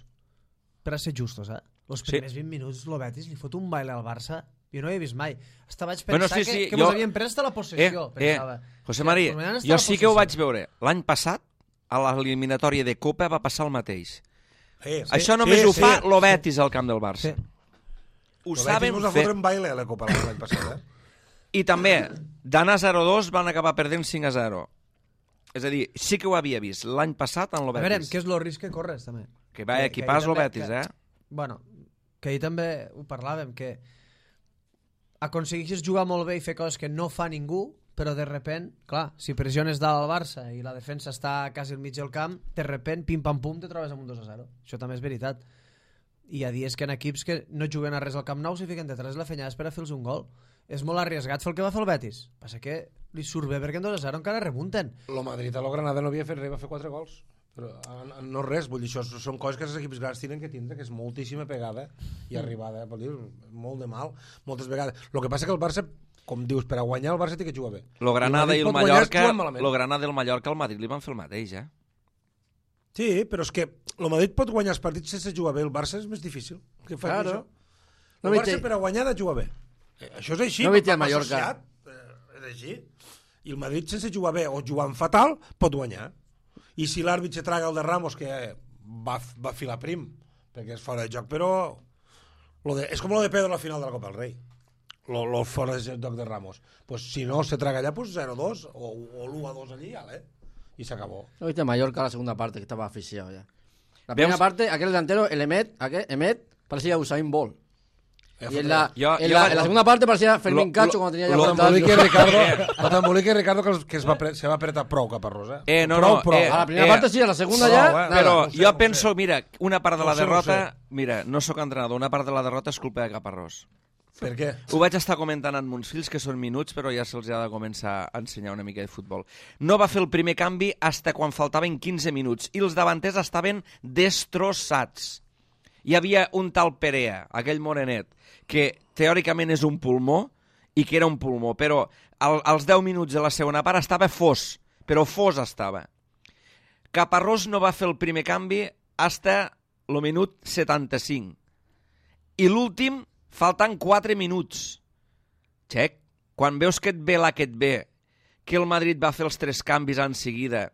Per a ser justos, Els primers 20 minuts el Betis li fot un baile al Barça, jo no ho he vist mai. Hasta vaig pensar que mos havien pres de la possessió. José María, jo sí que ho vaig veure l'any passat a l'eliminatòria de Copa va passar el mateix. Sí, Això només ho fa el Betis al camp del Barça. Sí. Ho El saben Betis mos va fer. fotre en baile a la Copa l'any passat, I també, d'anar 0-2 van acabar perdent 5-0. És a dir, sí que ho havia vist l'any passat en el A veure, Betis. què és el risc que corres, també? Que va equipar el Betis, eh? Bueno, que ahir també ho parlàvem, que aconsegueixes jugar molt bé i fer coses que no fa ningú, però de repent, clar, si pressiones dalt al Barça i la defensa està quasi al mig del camp, de repent, pim-pam-pum, te trobes amb un 2-0. Això també és veritat. I hi ha dies que en equips que no juguen a res al Camp Nou s'hi fiquen detrás la fenyada per a fer-los un gol. És molt arriesgat fer el que va fer el Betis. Passa que li surt bé perquè en 2-0 encara remunten. El Madrid a lo Granada no havia fet res, va fer 4 gols. Però no res, vull dir, això són coses que els equips grans tenen que tindre, que és moltíssima pegada i arribada, vol dir, molt de mal, moltes vegades. El que passa que el Barça, com dius, per a guanyar el Barça té que jugar bé. Lo Granada i el pot guanyar Mallorca, jugant malament. lo Granada i el Mallorca al Madrid li van fer el mateix, eh? Sí, però és que el Madrid pot guanyar els partits sense jugar bé, el Barça és més difícil. Què fa Claro. això? No El me Barça té- per a guanyar ha de jugar bé. Això és així. No me té va el Mallorca. associat, és així. I el Madrid sense jugar bé o jugant fatal pot guanyar. I si l'àrbit se traga el de Ramos, que va filar prim, perquè és fora de joc, però és com lo de Pedro a la final de la Copa del Rei. Lo fora de joc de Ramos. Pues si no se traga allà, pues 0-2 o l'1-2 allí, ¿vale? Y se acabó. ¿No viste a Mallorca la segunda parte que estaba asfixiado ya? La primera parte, aquel delantero, el Emet, parecía Usain Bolt. Y en la segunda parte parecía Fermín Cacho cuando tenía ya Lo 40 años. t'embolica Ricardo que se va apretar prou cap a Rosa. No. A la primera parte sí, a la segunda ya... nada. Però no sé, jo no penso, sé. mira, una part de la No sé, no derrota... Mira, no sóc entrenador, una part de la derrota és culpa de Caparrós. Per què? Ho vaig estar comentant amb uns fills, que són minuts, però ja se'ls ha de començar a ensenyar una mica de futbol. No va fer el primer canvi hasta quan faltaven 15 minuts, i els davanters estaven destrossats. Hi havia un tal Perea, aquell morenet, que teòricament és un pulmó, i que era un pulmó, però als 10 minuts de la segona part estava fos, però fos estava. Caparrós no va fer el primer canvi hasta el minut 75. I l'últim, faltant 4 minuts. Xec, quan veus que et ve la que et ve, que el Madrid va fer els 3 canvis en seguida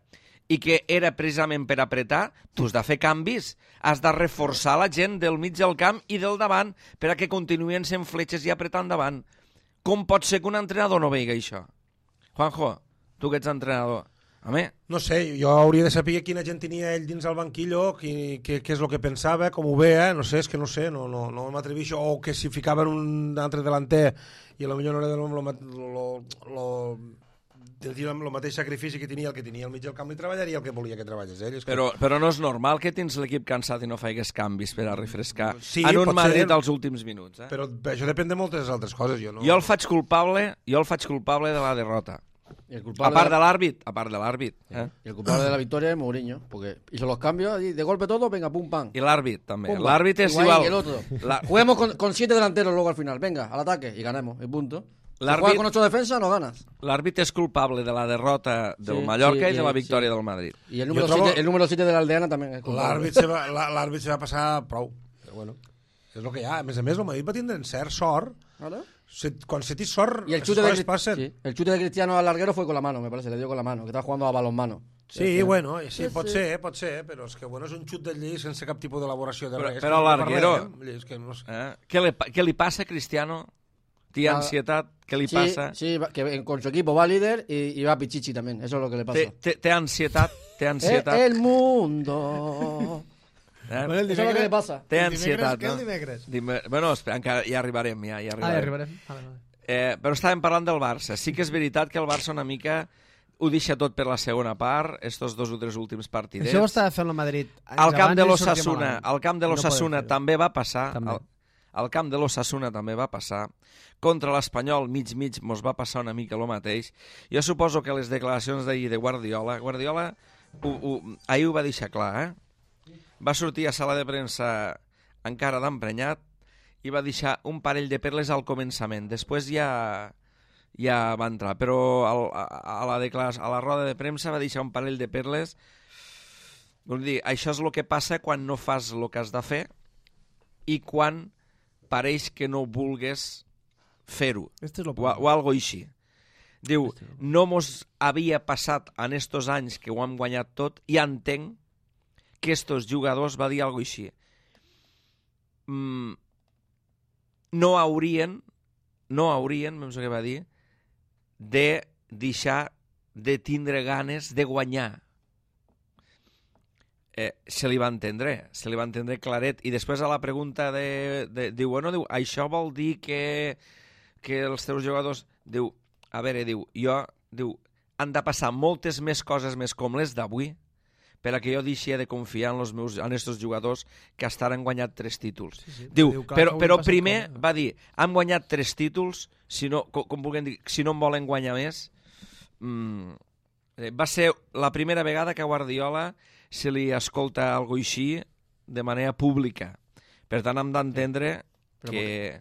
i que era precisament per apretar, tu has de fer canvis, has de reforçar la gent del mig del camp i del davant per a que continuïn sent fletxes i apretant davant. Com pot ser que un entrenador no vegi això? Juanjo, tu que ets entrenador, home, No sé, jo hauria de saber quina gent tenia ell dins el banquillo, què és el que pensava, com ho veia, no sé, és que no sé, no m'atreveixo, o que si ficaven un altre delanter i potser no era el mateix sacrifici que tenia el mig del camp, i treballaria el que volia que treballés ell. però no és normal que tens l'equip cansat i no faigues canvis per a refrescar Sí, en un pot Madrid ser. als últims minuts. Però això depèn de moltes altres coses. Jo Jo el faig culpable de la derrota. Y el A culpable, part de l'àrbit. y el culpable de la victoria es Mourinho, porque hizo los cambios y de golpe todo, venga, pum, pam. I l'àrbit, també. Pumba. L'àrbit és Higuaín igual. y el otro. La- Juguemos con 7 delanteros luego al final, venga, al ataque y ganemos, y punto. Si L'àrbit- juegas con 8 defensas, no ganas. L'àrbit és culpable de la derrota del Sí, Mallorca sí, i de la sí. victòria del Madrid. Y el Yo trobo- número 7 de la Aldeana también es culpable. L'àrbit se va passar prou. Però bueno, és el que hi ha. A més, el Madrid va tindre cert sort. ¿Vale? Quan se té sort, Y el les chute, coses passen. sí, el chute de Cristiano al larguero fue con la mano, me parece, le dio con la mano, que estaba jugando a balonmano. Sí, bueno, sí, pot ser, però és que bueno, és un xut del lli sense cap tipus d'elaboració de res. Però l'Arguero... És que no sé. Què li passa a Cristiano? Té ansietat? Què li passa? Sí, que con su equipo va líder y va Pichichi también, eso es lo que le pasa. Té ansietat? Té ansietat? El mundo. Eso es lo que le pasa. Té ansietat, Què el no? dimecres? Bueno, espera, encara ja arribarem. Ja arribarem. Però estàvem parlant del Barça. Sí que és veritat que el Barça una mica ho deixa tot per la segona part, estos 2 o 3 últims partidets. Això ho estava fent el Madrid. Al camp de l'Ossassuna també va passar. També. Al camp de l'Ossassuna també va passar. Contra l'Espanyol, mig mos va passar una mica el mateix. Jo suposo que les declaracions d'ahir de Guardiola ahir ho va deixar clar, eh? Va sortir a sala de premsa encara d'emprenyat i va deixar un parell de perles al començament. Després ja va entrar, però a la roda de premsa va deixar un parell de perles. Vull dir, això és el que passa quan no fas el que has de fer i quan pareix que no vulgues fer-ho, Este és lo o algo així. Diu, no mos havia passat en estos anys que ho hem guanyat tot i entenc que estos jugadors, va dir alguna cosa així, no haurien, penso que va dir, de deixar de tindre ganes de guanyar. Se li va entendre claret. I després a la pregunta diu, bueno, diu, això vol dir que els teus jugadors... Diu, a veure, han de passar moltes més coses més com les d'avui per a que jo deixi de confiar en estos jugadors que estan guanyat 3 títols. Sí. Diu, però primer va dir, han guanyat 3 títols, si no, com vulguem dir, si no en volen guanyar més... Va ser la primera vegada que a Guardiola se li escolta algo així de manera pública. Per tant, hem d'entendre que...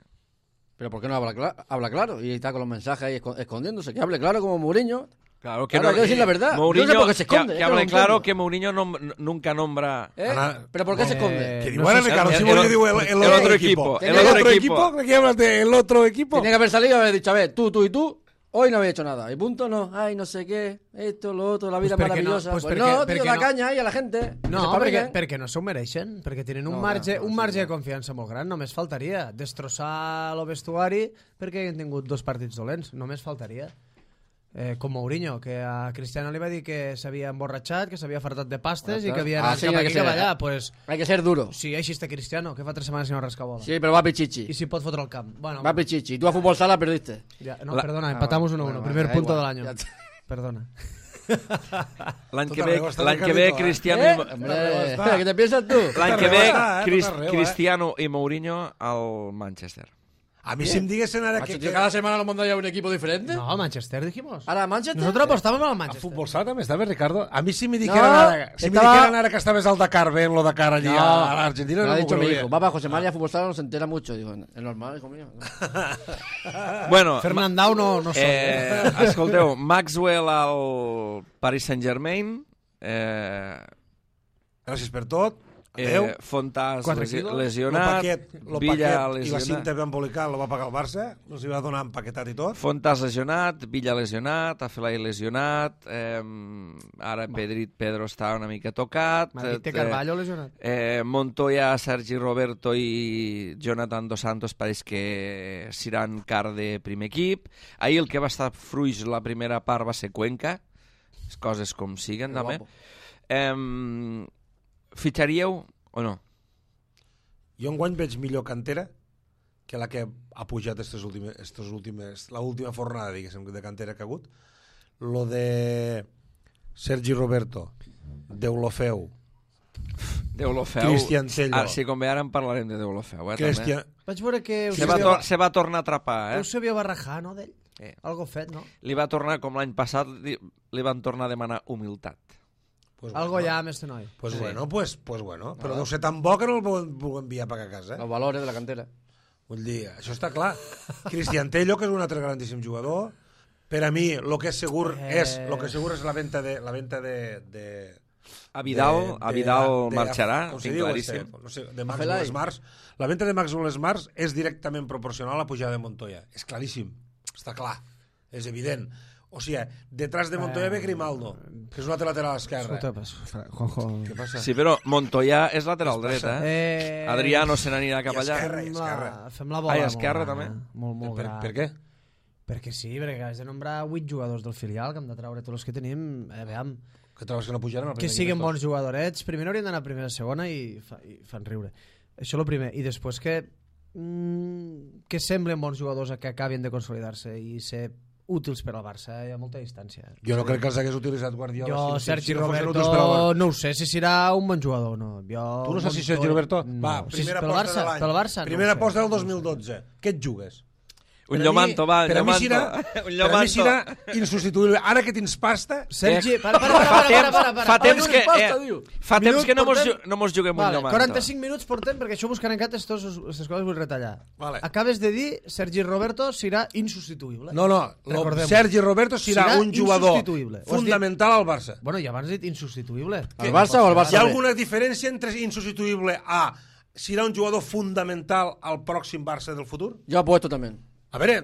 Pero ¿por qué no habla claro? Y está con los mensajes ahí escondiéndose. Que hable claro como Mourinho. Claro que no, hay que decir la verdad. Mourinho, no sé por qué se esconde. Que hable claro que Mourinho nunca nombra... ¿Pero por qué se esconde? Que igual, Ricardo, si Mourinho digo el otro equipo. ¿El otro equipo? ¿De qué hablas del otro equipo? Tenía que haber salido y haber dicho, a ver, tú y tú, hoy no habéis hecho nada. Y punto, no. Ay, no sé qué, esto, lo otro, la vida maravillosa. No, tío, la caña ahí a la gente. No, perquè no s'ho mereixen, perquè tenen un marge de confiança molt gran, només faltaria destrossar el vestuari perquè han tingut 2 partits dolents, només faltaria. Com Mourinho, que a Cristiano li va dir que s'havia emborratxat, que s'havia fartat de pastes i que havia anat cap aquí cap allà. Pues, hay que ser duro. Sí, així està Cristiano, que fa 3 setmanes que no rasca bola. Sí, però va pichichi. I si pot fotre el camp. Bueno, va pichichi. Tu a futbol sala perdiste. Ja, no, perdona, empatamos 1-1. Primer punto del año. Perdona. L'any que ve Cristiano... ¿Qué te piensas tú? L'any que ve Cristiano i Mourinho al Manchester. A mí si me diguesen ahora que... ¿Cada semana nos mandaría un equipo diferente? No, Manchester dijimos. ¿Ahora Manchester? Nosotros apostábamos al Manchester. A futbol sala també estava, Ricardo? A mi si me dijeran ara que estaves al Dakar, ven lo Dakar allí a l'Argentina, no m'ho dicho mi creuria. hijo. Papá, José María, fútbol sala no se entera mucho. Digo, es normal, hijo mío. Bueno, Fernandao no som. Escolteu, Maxwell al Paris Saint-Germain, Gràcies per tot. Adéu. Fontàs Lesionat, Villa lesionat. I la cinta embolical lo va pagar el Barça, no s'hi va donar empaquetat i tot. Fontàs lesionat, Villa lesionat, Afelai lesionat, ara Pedro està una mica tocat. Madrid té Carvalho lesionat. Montoya, Sergi Roberto i Jonathan Dos Santos pareix que seran car de primer equip. Ahir el que va estar fruix la primera part va ser Cuenca, les coses com siguen també. Fitxaríeu o no? Jo enguany veig millor cantera que la que ha pujat la última fornada, diguéssim, de cantera que ha hagut. Lo de Sergi Roberto, Deulofeu, Cristian Tello. Si com ve ara en parlarem de Deulofeu. Cristian... Vaig veure que... Se va tornar a atrapar. Us sabia barrajar, no, d'ell? Algo fet, no? Li va tornar, com l'any passat, li van tornar a demanar humilitat. Pues algo bueno. ja amb este noi. Pues sí. Pues bueno. Però deu ser tan bo que no el puc enviar per a casa. Los valores de la cantera. Vull dir, això està clar. Cristian Tello, que és un altre grandíssim jugador. Per a mi, el que és segur és la venta de a Vidal marxarà, tinc claríssim. No sé, de Maxwell Smart. La venta de Maxwell Smart és directament proporcional a la pujada de Montoya. És claríssim. Està clar. És evident. O sigui, detrás de Montoya ve Grimaldo, que és un altre lateral esquerre. Juanjo. Què passa? Sí, però Montoya és lateral dret, Adriano se n'anirà cap allà. Esquerra. Fem la bola. Esquerra també. Molt gran. Per què? Perquè sí, perquè has de nombrar 8 jugadors del filial, que hem de treure tots els que tenim. Veiem. Que trobes que no pujaran? Que siguin bons jugadorets. Primer haurien d'anar a primera a segona i fan riure. Això és el primer. I després que semblen bons jugadors que acabin de consolidar-se i ser útils per al Barça, hi ha molta distància. Jo no crec que els hagués utilitzat Guardiola. Jo, Sergi Roberto, no ho sé si serà un bon jugador o no. Tu no saps si Sergi Roberto... Va, primera aposta de l'any. Primera aposta del 2012. Què et jugues? Un Llomanto, va, un Llomanto. Per a mi serà insubstituïble. Ara que tens pasta... Sergi, fa temps que no mos juguem un Llomanto. 45 minuts portem, perquè això buscant en cat aquestes coses vull retallar. Acabes de dir Sergi Roberto serà insubstituïble. No, Sergi Roberto serà un jugador fundamental al Barça. Bueno, ja abans has dit insubstituïble. Al Barça o al Barça? Hi ha alguna diferència entre insubstituïble a serà un jugador fundamental al pròxim Barça del futur? Jo apuesto també. A veure,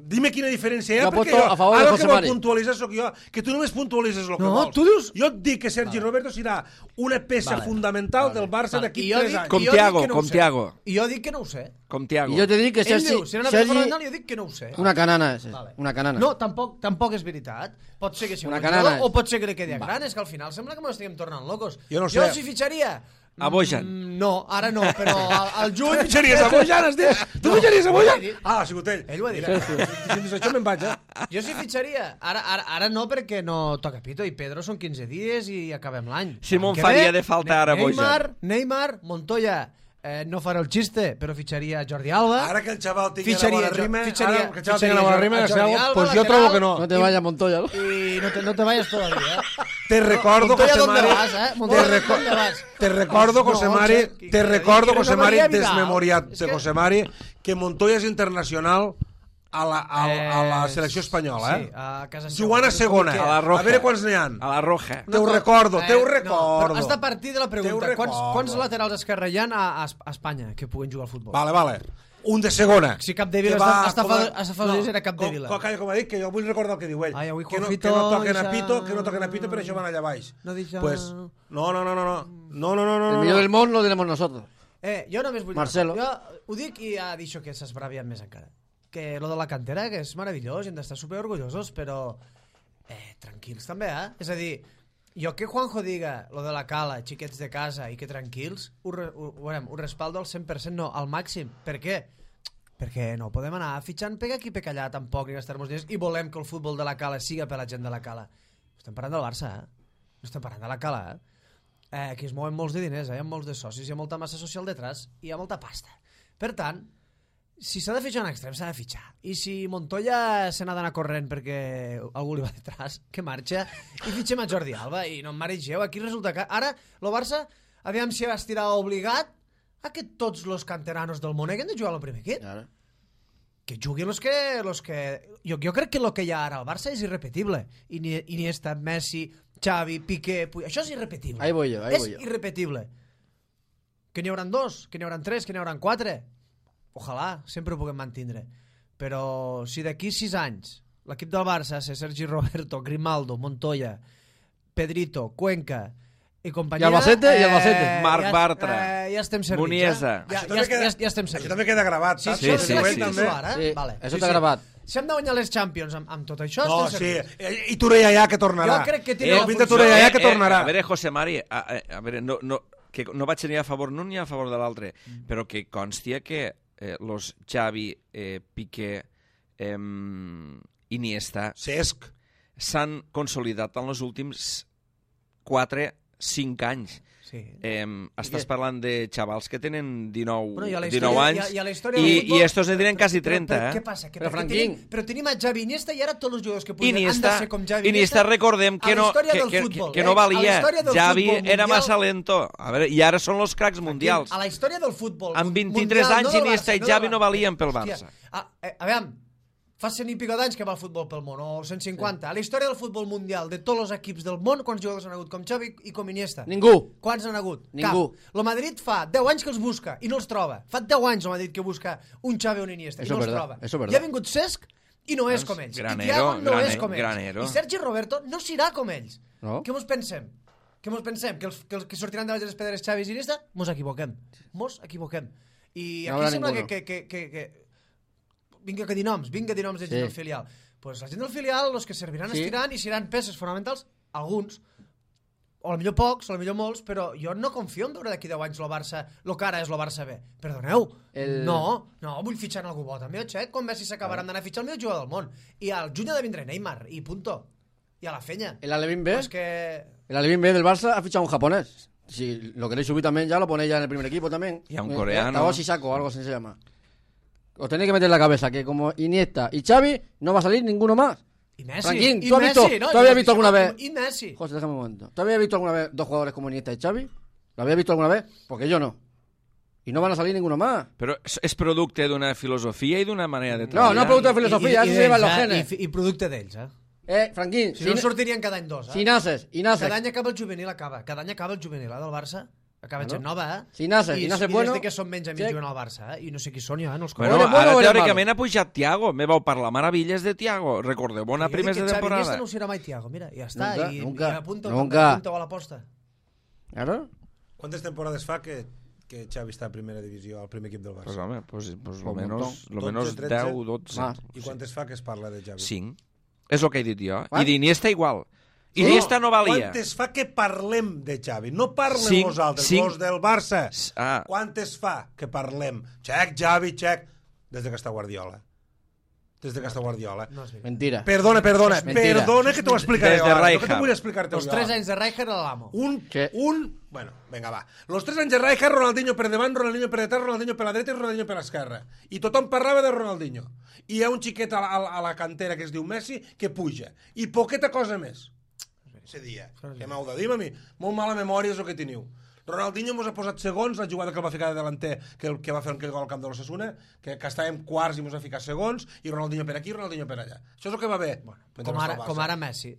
dime quina diferència hi ha, Jo perquè aposto a favor de ara el José que vol Mari. puntualitzar sóc jo, que tu només puntualitzes el que No, vols. tu dius- Jo et dic que Sergi Roberto serà una peça fundamental del Barça d'aquí I jo 3 dic- anys. Com i jo dic Thiago, que no ho com sé. Thiago. I jo dic que no ho sé. Com Thiago. I jo te dic que Ell Sergi... diu, serà una peça Sergi fonamental, jo dic que no ho sé. una canana, és. Vale. Una canana. No, tampoc és veritat. Pot ser que sigui Una un canana jugador, o és. pot ser que li quedi gran. És que al final sembla que m'ho estiguem tornant locos. Jo no sé. Jo si fitxaria... A Bojan. No, ara no, però al Tu juny... fitxaries a Bojan, has dit? Tu fitxaries a ho he Bojan? dit. Ah, ha sigut ell. Ell ho ha dit. Si dius això me'n vaig, Jo sí fitxaria. Ara no, perquè no toca pito. I Pedro són 15 dies i acabem l'any. Simón L'any que faria ve, de falta ara Bojan. Neymar, Montoya, no farà el xiste, però fitxaria Jordi Alba. Ara que el xaval tingui la Fitxaria bona jo- rima, fitxaria- ara que el xaval fitxaria tingui la bona jo- rima, a Jordi Alba, pues jo lateral. trobo que no. No te vayas, Montoya, ¿no? Y no te vayas todavía, Te recordo, Montoya, José ¿dónde Mari. vas, Montoya, ¿dónde vas? Te recordo, José No, Mari, que- te recordo, que José no Mari, m'havia mirat. desmemoriat És de que- José Mari, que Montoya és internacional a la selecció espanyola, Sí, a casa seva. Jugant a segona. A la Roja. A veure quants n'hi ha. A la Roja. Te ho recordo, te ho No, recordo. però has de partir de la pregunta. Te ho recordo. Quants laterals esquerre hi ha a Espanya que puguen jugar al futbol? Vale. Un de segona. Si Capdevila Que va hasta com a- fa dos dies era Capdevila. Calla, com ha dit, que jo vull recordar el que diu ell. Ai, avui que no Juanjito toquen a deixa- pito, que no toquen a pito, per això van allà baix. No deixa- Pues, no. El millor del món lo tenemos nosotros. Jo només vull... Marcelo. Jo ho dic i ha dit que s'esbravien més encara. Que lo de la cantera, que és meravellós, i hem d'estar superorgullosos, però tranquils també, És a dir, jo que Juanjo diga lo de la cala, xiquets de casa i que tranquils, ho respaldo al 100%, no, al màxim. Per què? Perquè no podem anar fitxant pega aquí, pega allà, tampoc, i gastar-nos diners, i volem que el futbol de la cala siga per la gent de la cala. Estem parlant del Barça, No estem parlant de la cala, Aquí es mouen molts de diners, hi ha molts de socis, hi ha molta massa social detrás, i hi ha molta pasta. Per tant, si s'ha de fitxar un extrem, s'ha de fitxar. I si Montoya se n'ha d'anar corrent perquè algú li va detrás, que marxa, i fitxem a Jordi Alba, i no em maregeu. Aquí resulta que ara el Barça, aviam si estirà obligat a que tots els canteranos del món hagin de jugar al primer equip. Claro. Que juguin los que... Jo crec que el que hi ha ara al Barça és irrepetible. Iniesta, Messi, Xavi, Piqué... Això és irrepetible. Ahí voy yo. És irrepetible. Que n'hi hauran 2, que n'hi hauran 3, que n'hi hauran 4. Ojalà, sempre ho puguem mantindre. Però si d'aquí 6 anys l'equip del Barça és Sergi Roberto, Grimaldo, Montoya, Pedrito, Cuenca i companyia... I Albacete. Marc Bartra. Ja estem servits. Muniesa. Ja estem servits. Això també queda gravat, Sí, saps? sí, sí, sí, sí. sí. Ara? Sí, Vale. això està gravat. Si hem de guanyar les Champions amb tot això, No, estem sí. servits. I Touré ja que tornarà. Jo crec que té una Pinta funció. Touré ja que tornarà. A veure, José Mari, a veure, que no vaig ni a favor d'un ni a favor de l'altre, però que constia que los Xavi, Piqué, Iniesta Cesc. s'han consolidat en els últims 4-5 anys. Sí. Estàs parlant de xavals que tenen 19, Bueno, i a la 19 història- anys i a la història del futbol- i estos en tenen quasi 30, Però, eh? què passa? Que Però, perquè Franquín. però tenim a Xavi Iniesta i ara tots els jugadors que pugen han de Iniesta, ser com Xavi Iniesta recordem que a la no, història que, del que, futbol, que no a la valia. història del Xavi futbol era mundial. massa lento. A veure, i ara són els cracs mundials. A la història del futbol Amb 23 mundial, anys no del Iniesta Barça, i del Xavi no Barça. valien pel Hòstia, Barça. a veure, fa 100 i pico d'anys que va el futbol pel món, o 150. A la història del futbol mundial, de tots els equips del món, quants jugadors han hagut com Xavi i com Iniesta? Ningú. Quants han hagut? Ningú. Cap. El Madrid fa 10 anys que els busca i no els troba. Fa 10 anys el Madrid que busca un Xavi o un Iniesta i Eso no es els verdad, troba. eso es verdad. I ha vingut Cesc i no és com ells. Granero, I Thiago no és com ells. Granero. I Sergi Roberto no serà com ells. No. Què mos pensem? Que els que sortiran de les pedres Xavi i Iniesta? Mos equivoquem. I No aquí haurà sembla ninguno. que vinga que dir noms de gent Sí. del filial. Pues la gent del filial, els que serviran Sí. estiran i seran peces fonamentals, alguns, o millor pocs, o millor molts, però jo no confio en veure d'aquí 10 anys el Barça, el que ara és el Barça B. Perdoneu, no, vull fitxar en algú bo també, xec, quan Messi s'acabaran d'anar a fitxar el millor jugador del món. I al juny ha de vindre Neymar, i punto. I a la fenya. El Alevín B. Pues que... El Alevín B del Barça ha fichado un japonés. Si lo queréis subir también ya, lo ponéis ya en el primer equipo también. Y a un coreano. Taoshi Sako o algo así se llama. Os tenéis que meter en la cabeza que como Iniesta y Xavi no va a salir ninguno más. I Messi. Franquín, I ¿tú has Messi, visto, no? ¿tú habías visto alguna vez? I Messi. José, déjame un momento. ¿Tú habías visto alguna vez dos jugadores como Iniesta y Xavi? ¿Lo habías visto alguna vez? Porque yo no. Y no van a salir ninguno más. Però és producte d'una filosofia i d'una manera de No, treballar. no es producto de filosofía, eso se lleva en los genes. I producte d'ells, Franquín, Si no sortirien cada any dos, si naces y naces. Cada any acaba el juvenil, del Barça, Acaba gent nova, Si nace bueno... I des que són menys amics juguen al Barça, i no sé qui són ja, no els Bueno, conec. ara teòricament ha pujat Thiago. Me vau parlar meravelles de Thiago. Recordeu, bona primers de temporada. Xavi no serà mai Thiago, mira, ja està. Nunca. I apunta a l'aposta. Claro. ¿Cuántas temporadas fa que Xavi està a primera divisió, al primer equip del Barça? Pues home, lo un menos 10, 13. 12. I quantes fa que es parla de Xavi? 5. És el que he dit jo. I d'Iniesta igual. Iniesta no valia. Quantes fa que parlem de Xavi? No parlem 5, nosaltres, 5. els del Barça. Ah. Quantes fa que parlem? Xavi, des que està Guardiola. No és veritat. Mentira. Perdona, que t'ho explicaré. Des de Rijkaard. No que t'ho vull explicar-te Els 3 anys de Rijkaard era l'amo. Bueno, venga, va. Los 3 anys de Rijkaard, Ronaldinho per davant, Ronaldinho per detrás, Ronaldinho per la dreta i Ronaldinho per l'esquerra. I tothom parlava de Ronaldinho. I hi ha un xiquet a la cantera que es diu Messi que puja. I poqueta cosa més. Se dia. Què m'heu de dir a mi? Molt mala memòria és el que teniu. Ronaldinho mos ha posat segons, la jugada que el va ficar de delanter, que va fer aquell gol al camp de l'Osasuna, que estàvem quarts i mos ha ficat segons, i Ronaldinho per aquí, Ronaldinho per allà. Això és el que va bé. Com ara Messi.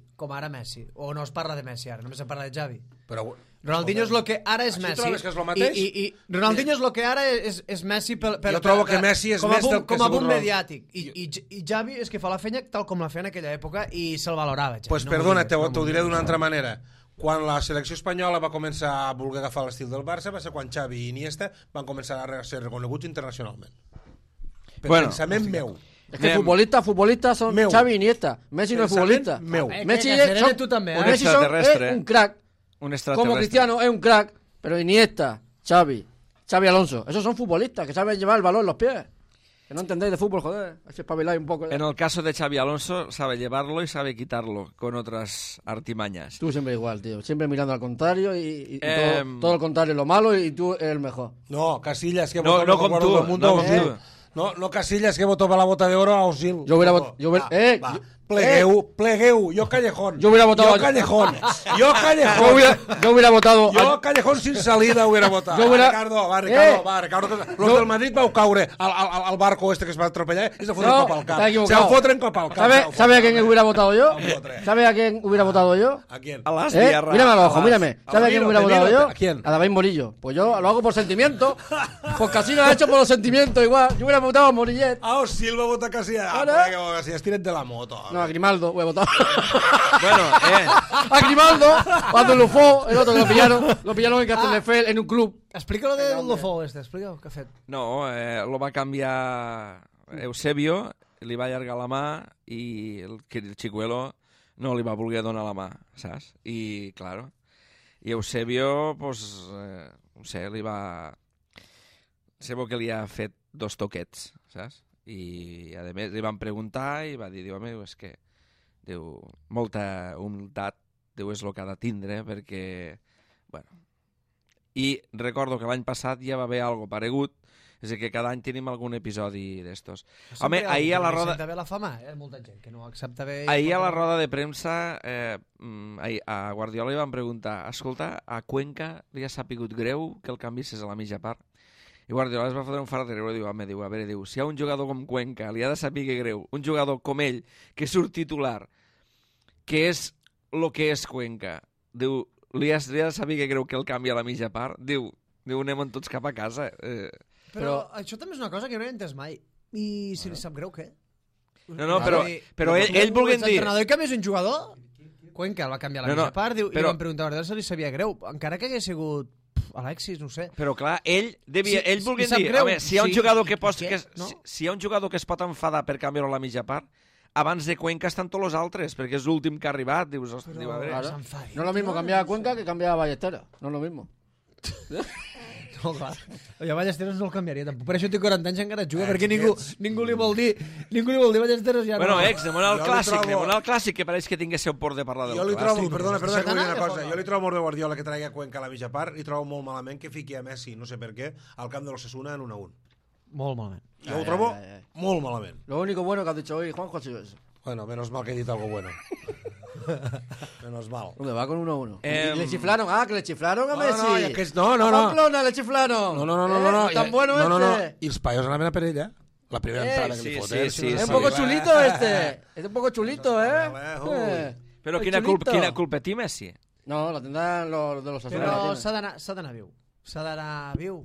O no es parla de Messi ara, només se parla de Xavi. Però Ronaldinho és el que ara és Messi. Trobes que és el mateix? I Ronaldinho és el que ara és Messi jo trobo que Messi és més del que com a boom mediàtic. I Xavi és que fa la feina tal com la feia en aquella època i se'l valorava. Pues perdona, t'ho diré d'una altra manera. Quan la selecció espanyola va començar a voler agafar l'estil del Barça va ser quan Xavi i Iniesta van començar a ser reconeguts internacionalment. Per pensament meu. Es que futbolistas son Xavi y Iniesta. Messi no es futbolista. Messi es un crack. Como Cristiano es un crack, pero Iniesta, Xavi Alonso, esos son futbolistas que saben llevar el balón en los pies. Que no entendéis de fútbol, joder. Así espabiláis un poco. En el caso de Xavi Alonso, sabe llevarlo y sabe quitarlo con otras artimañas. Tú siempre igual, tío. Siempre mirando al contrario y todo lo contrario, lo malo, y tú eres el mejor. No, Casillas, que votó no con tú, mundo no Casillas, que votó para la bota de oro a Osil. Yo hubiera votado... Plegueu, yo Callejón. Yo hubiera votado... Yo Callejón. Yo hubiera votado... Yo Callejón sin salida hubiera votado. Ricardo. Los del Madrid vau caure al barco este que es va atropellar y se fotren cop al cap. Se fotren cop al cap. ¿Sabe a quién hubiera votado yo? ¿Sabe a quién hubiera votado yo? ¿A quién? A las tierras. Mírame al ojo, mírame. ¿Sabe a quién hubiera votado yo? ¿A quién? A David Morillo. Pues yo lo hago por sentimiento. Porque así lo ha hecho por los sentimientos igual. Yo hubiera votado a Morillet. Ah, Osil va votar Casillas. Casillas, tira't de la moto. No, a Grimaldo voy a votar. Bueno, A Grimaldo, cuando Lufó, el otro que lo pillaron en Castelldefels en un club. Explica lo de Lufó explica què ha fet. No, lo va canviar Eusebio, li va allargar la mà i el Chicuelo no li va voler donar la mà, saps? I, claro, i Eusebio, pues, no sé, li va... Sembla que li ha fet 2 toquets, saps? I, a més, li van preguntar i va dir, home, és que diu, molta humilitat, diu, és el que ha de tindre, perquè, bueno... I recordo que l'any passat ja va haver algo paregut, és a dir, que cada any tenim algun episodi d'estos. Home, ahir a la roda... Accepta bé la fama, molta gent que no accepta bé... Ahir a la roda de premsa, a Guardiola li van preguntar, escolta, a Cuenca li ha sapigut greu que el canviessis a la mitja part? I Guardiola es va fotre un fart de riure i diu, home, a veure, si hi ha un jugador com Cuenca, li ha de saber greu, un jugador com ell, que surt titular, que és el que és Cuenca, diu, li ha de saber greu que el canvi a la mitja part, diu, anem tots cap a casa. Però això també és una cosa que no he entès mai. I si li sap greu, què? No, però ell volguent dir... L'entrenador que més un jugador, Cuenca el va canviar a la mitja part, i van preguntar a Guardiola si li sabia greu, encara que hagués sigut Alexis, no sé. Però clar, ell volguent dir, home, si hi ha un jugador que es pot enfadar per canviar-ho a la mitja part, abans de Cuenca estan tots els altres, perquè és l'últim que ha arribat. Dius, hosti, a veure... No es lo mismo cambiar a Cuenca que cambiar a Ballesteros. No es lo mismo. No, clar. Jo a Ballesteros no el canviaria tampoc. Per això té 40 anys encara juga, perquè ningú li vol dir Ballesteros ja no. Bueno, demana el clàssic, que pareix que tingués seu por de parlar del clàssic. Jo li trobo, perdona, que vull dir una cosa. Jo li trobo molt bé Guardiola que traigui a Cuenca a la mitja part i trobo molt malament que fiqui a Messi, no sé per què, al camp de l'Osasuna en 1-1. Molt malament. Jo ho trobo molt malament. Lo único bueno que has dicho hoy, Juanjo, ha sido eso. Bueno, menos mal que he dit algo bueno. Menos mal. ¿Dónde va con 1-1? ¿Le chiflaron? Ah, que le chiflaron a Messi. No. A Pamplona le chiflaron. No. Tan bueno este. I els paios anaven a per ella. La primera entrada que li foten. Sí. Es un poco chulito este. Es un poco chulito, Però quina culpa té Messi? No, la tindran los de los Asuna. Però s'ha d'anar viu. s'ha d'anar viu.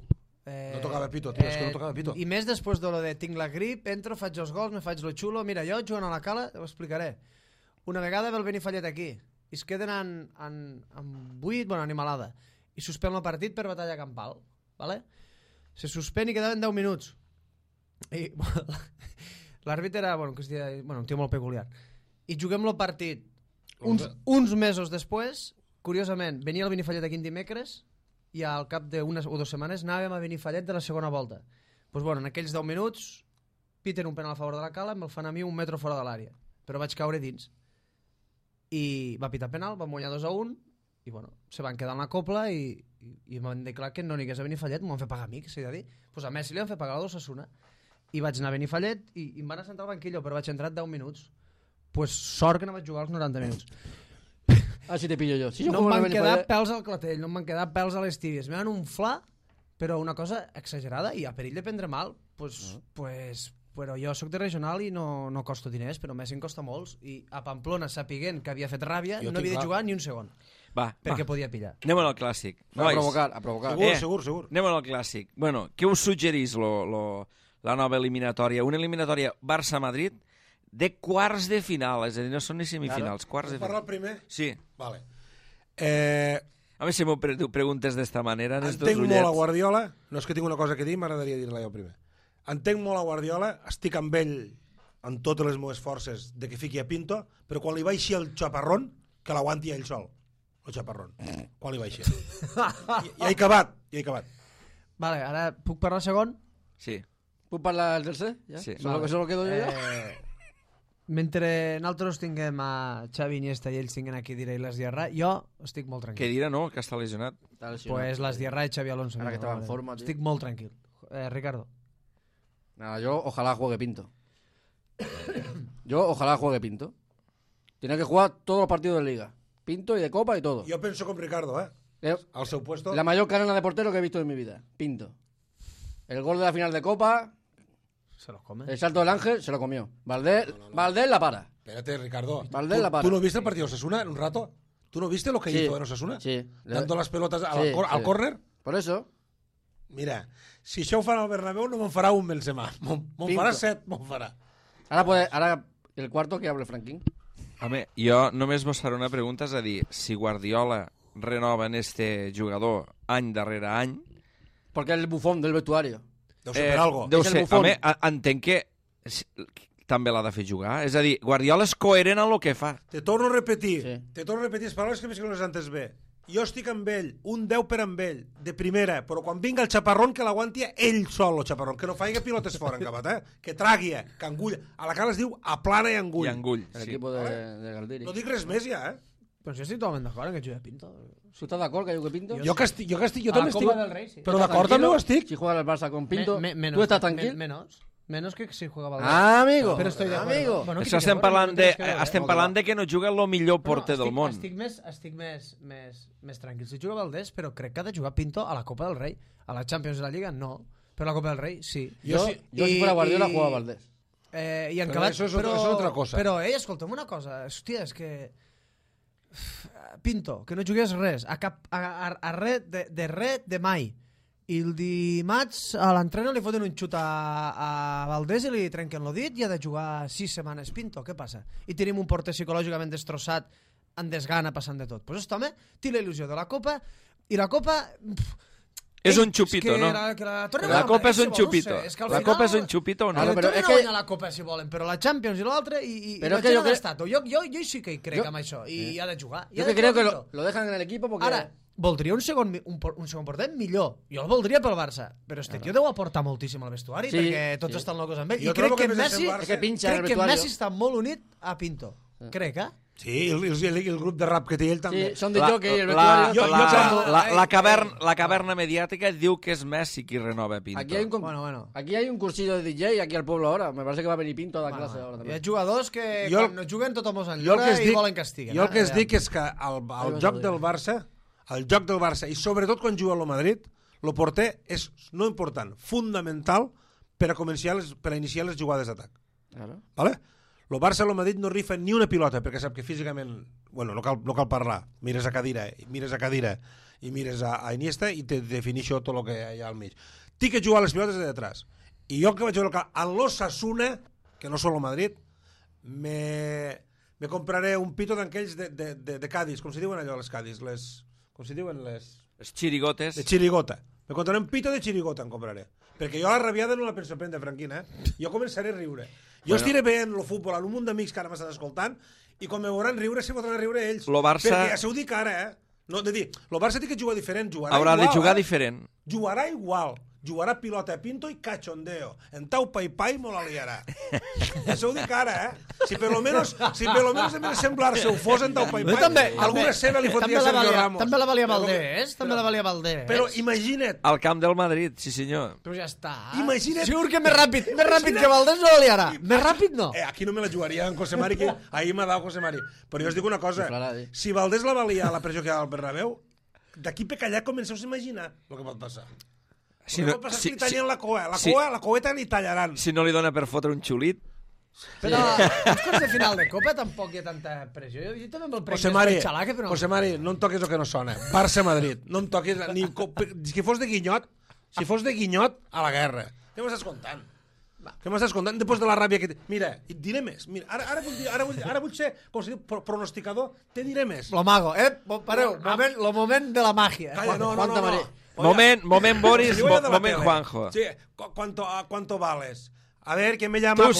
No tocava pito, tio, és que no tocava pito. I més després de lo de tinc la grip, entro, faig els gols, me faig lo xulo. Mira, jo jugant a la Cala, ho explicaré. Una vegada ve el Benifallet aquí i es queden en 8, bueno, animalada, i suspèn el partit per batalla campal, ¿vale? Se suspèn i quedaven 10 minuts. I l'àrbitre era, un tio molt peculiar. I juguem el partit uns mesos després, curiosament, venia el Benifallet aquí en dimecres i al cap d'unes o 2 setmanes anàvem a Benifallet de la segona volta. Pues bueno, en aquells 10 minuts piten un penal a favor de la Cala, me'l fan a mi 1 metre fora de l'àrea, però vaig caure dins i va pitar penal, vam guanyar 2-1 i bueno, se van quedar en la copla i m'han declarat que no n'hi hagués a Benifallet, m'ho van fer pagar a mi, que s'ha de dir. Pues a Messi li van fer pagar a l'Osasuna i vaig anar a Benifallet i em van assentar al banquillo, però vaig entrar 10 minuts. Pues sort que no vaig jugar els 90 minuts. Si te pillo jo. No em van quedar pèls al clatell, no em van quedar pèls a les tíbies. Me van unflar, però una cosa exagerada i a perill de prendre mal. Però jo sóc de regional i no costo diners, però Messi em costa molts. I a Pamplona, sapiguent que havia fet ràbia, no havia de jugar ni un segon. Perquè podia pillar. Anem al clàssic. A provocar. Segur. Anem al clàssic. Bueno, què us suggerís la nova eliminatòria? Una eliminatòria Barça-Madrid de quarts de final, és a dir, no són ni semifinals, quarts de final. Parlar el primer? Sí. Vale. A mi si m'ho preguntes d'esta manera... Entenc molt a Guardiola, no és que tinc una cosa que dir, m'agradaria dir-la jo primer. Entenc molt a Guardiola, estic amb ell amb totes les meves forces de que fiqui a Pinto, però quan li baixi el xaparrón, que l'aguanti ell sol, el xaparrón. Quan li baixi. Ja he acabat. Vale, ara puc parlar segon? Sí. Puc parlar el tercer? Ja? Sí. Solo quedo jo ja? Mentre nosaltres tinguem a Xavi Iniesta i ells tinguen aquí diré les Diarra, jo estic molt tranquil. Què dirà, no? Que està lesionat. Pues les Diarra i Xavi Alonso. Ara que estava en forma, tío. Estic molt tranquil. Ricardo. Nada, yo ojalá juegue Pinto. Ojalá juegue Pinto. Tiene que jugar todos los partidos de Liga. Pinto y de Copa y todo. Jo penso com Ricardo, al seu puesto. La mayor carrera de portero que he visto en mi vida. Pinto. El gol de la final de Copa... Se lo come. El salto del Ángel se lo comió. Valdés la para. Espérate, Ricardo. Valdés la para. ¿Tú no viste el partido de Osasuna en un rato? ¿Tú no viste lo que hizo en Osasuna? Sí. Dando las pelotas al córner. Por eso. Mira, si això ho fan al Bernabéu no me'n farà un Benzema. Me'n farà 7, me'n farà. Ahora el cuarto que hable Franquín. Home, jo només vos faré una pregunta, és a dir, si Guardiola renova en este jugador any darrere any... Porque es el bufón del vestuario. Deu ser per algo. Deu ser, home, entenc que també l'ha de fer jugar. És a dir, Guardiola és coherent en el que fa. Te torno a repetir. Sí. Te torno a repetir les paraules que més que no les entes bé. Jo estic amb ell, un 10 per amb ell, de primera, però quan vinga el xaparrón que l'aguanti ell sol, el xaparrón, que no faci pilotes fora en capat, que tragui, que engulla. A la Cala es diu aplana i engull. I engull, El sí. equipo de Galdiri. No dic res més ja, Però si estic totalment d'acord en que jugui Pinto. ¿Tú estás de acuerdo que juegue Pinto? Jo A també la Copa del estic... Rei, sí. Però d'acord també ho estic. Si juega el Barça con Pinto, Menos, ¿tú estás tranquilo? Menos que si jugava el Amigo. Però estoy de acuerdo. Amigo. Bueno, Això estem parlant de que no juga el millor porter del món. Estic més tranquil. Si juga Valdés, però crec que ha de jugar Pinto a la Copa del Rei. A la Champions de la Lliga, no. Però a la Copa del Rei, sí. Yo si fuera Guardiola jugaba Valdés. I en Però això és otra cosa. Però, escolta'm una cosa. Hòstia, és que... Pinto, que no jugués res. A res de mai. I el dimarts a l'entreno li foten un xut a Valdés i li trenquen el dit i ha de jugar 6 setmanes Pinto. Què passa? I tenim un porter psicològicament destrossat, en desgana, passant de tot. Pues aquest home té la il·lusió de la Copa i la Copa... És un xupito, no? La Copa és un xupito. La Copa és un xupito o no? Però és que guanyar la Copa si volen, però la Champions i l'altre i però és que jo sí que hi crec amb això i ha de jugar. Yo que creo que lo dejan en el equipo porque... Ara, voldria un segon porter millor. Jo el voldria pel Barça, però este tio deu aportar moltíssim al vestuari perquè tots estan locos amb ell. I crec que Messi està molt unit a Pinto. Crec, Sí, el grup de rap que té ell també. Sí, son de jockey y el vestuario... La caverna mediàtica diu que és Messi qui renova Pinto. Aquí hay un cursillo de DJ aquí al pueblo ahora. Me parece que va a venir Pinto a dar clase ahora Hi també. ha jugadors que quan no juguen tothom els enllora i volen castiguen. Jo el que es dic és que el joc del Barça, i sobretot quan juga al Madrid, el porter és no important, fundamental per a iniciar les jugades d'atac. Claro. ¿Vale? El Barça i el Madrid no rifen ni una pilota perquè sap que físicament, bueno, no cal parlar, mires a cadira i mires a Iniesta i te definixo tot el que hi ha al mig. Tinc que jugar les pilotes de detrás. I jo que vaig veure en l'Osasuna, que no són el Madrid, me compraré un pito d'aquells de Cádiz, com se diuen allò les Cádiz, com se diuen les xirigotes. de xirigota. Me compraré un pito de xirigota, em compraré. Perquè jo la rabiada no la penso prendre, Franquina, Jo començaré a riure. Jo estiré veient el futbol amb un munt d'amics que ara m'estan escoltant i quan me veuran riure, se podran riure ells. Lo Barça... Perquè ja s'ho dic ara, No, de dir, el Barça té que jugar diferent, Haurà de jugar diferent. Jugarà igual. Jugarà pilota a pinto i cachondeo. En tau pai mo la liarà. Això ho dic ara, Si per lo menos en vez de semblar-se ho fos en tau pai, alguna seva li fotria Sergio Ramos. També la valia Valdés. Però imagina't. Al camp del Madrid, sí senyor. Però ja està. Imagina't. Segur que més ràpid que Valdés no la liarà. Més ràpid no. Aquí no me la jugaria en José Mari, que ahir m'ha dado José Mari. Però jo us dic una cosa. Si Valdés la valia la pressió que hi ha al Bernabéu, d'aquí per callar comenceu a imaginar el que pot passar. Si no, si li tallen la coeta li tallaran. Si no li dona per fotre un xulit. Però els quarts de final de Copa tampoc hi ha tanta pressió. Jo també me'l prenc més xalaque, però... José Mari, no em toquis el que no sona. Barça-Madrid. No em toquis... Si fos de Guinyot, a la guerra. Què m'estàs contant? Després de la ràbia que... Mira, et diré més. Mira, ara vull ser, com se diu, pronosticador. Te diré més. Lo mago, pareu, lo moment de la màgia. Calla, no. Moment Boris, moment Juanjo. Sí, ¿cuánto vales? A ver, ¿quién me llama? Tú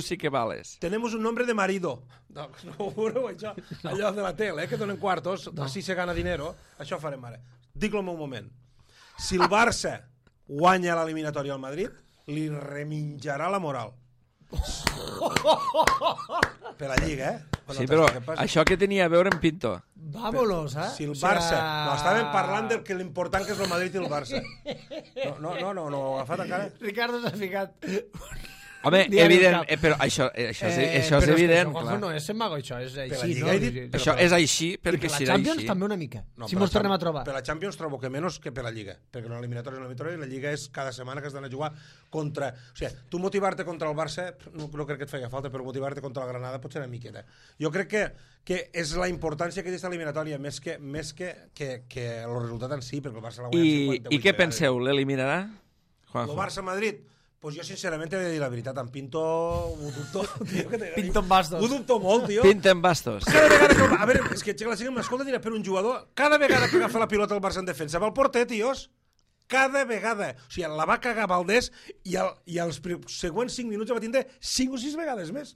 sí que vales. Tenemos un nombre de marido. No juro, allò de la tele, que donen quartos, així se gana dinero. Això farem ara. Dic-lo en un moment. Si el Barça guanya l'eliminatòria al Madrid, li reminjarà la moral. Per la Lliga, Sí, però això que tenia a veure en Pinto? Vámonos, Si el Barça... No, estàvem parlant del que l'important que és el Madrid i el Barça. No, agafat encara. Ricardo s'ha ficat... Home, evident, però això és evident, clar. No és mago, això és així, no? Això és així perquè serà així. I per la Champions també una mica, si mos tornem a trobar. Per la Champions trobo que menys que per la Lliga, perquè l'eliminatòria i la Lliga és cada setmana que has d'anar a jugar contra... O sigui, tu motivar-te contra el Barça no crec que et feia falta, però motivar-te contra la Granada pot ser una miqueta. Jo crec que és la importància que té aquesta eliminatòria més que el resultat en si, perquè el Barça l'ha guanyat 58 I què penseu, l'eliminarà? El Barça-Madrid... Pues jo, sincerament, he de dir la veritat. En Pinto ho dubto. Pinto en bastos. Ho dubto molt, tio. Pinto en bastos. Cada vegada que... A veure, és que la gent m'escolta dirà per un jugador. Cada vegada que agafa la pilota el Barça en defensa va al porter, tios. Cada vegada. O sigui, la va cagar Valdés i els següents 5 minuts va tindre 5 o 6 vegades més.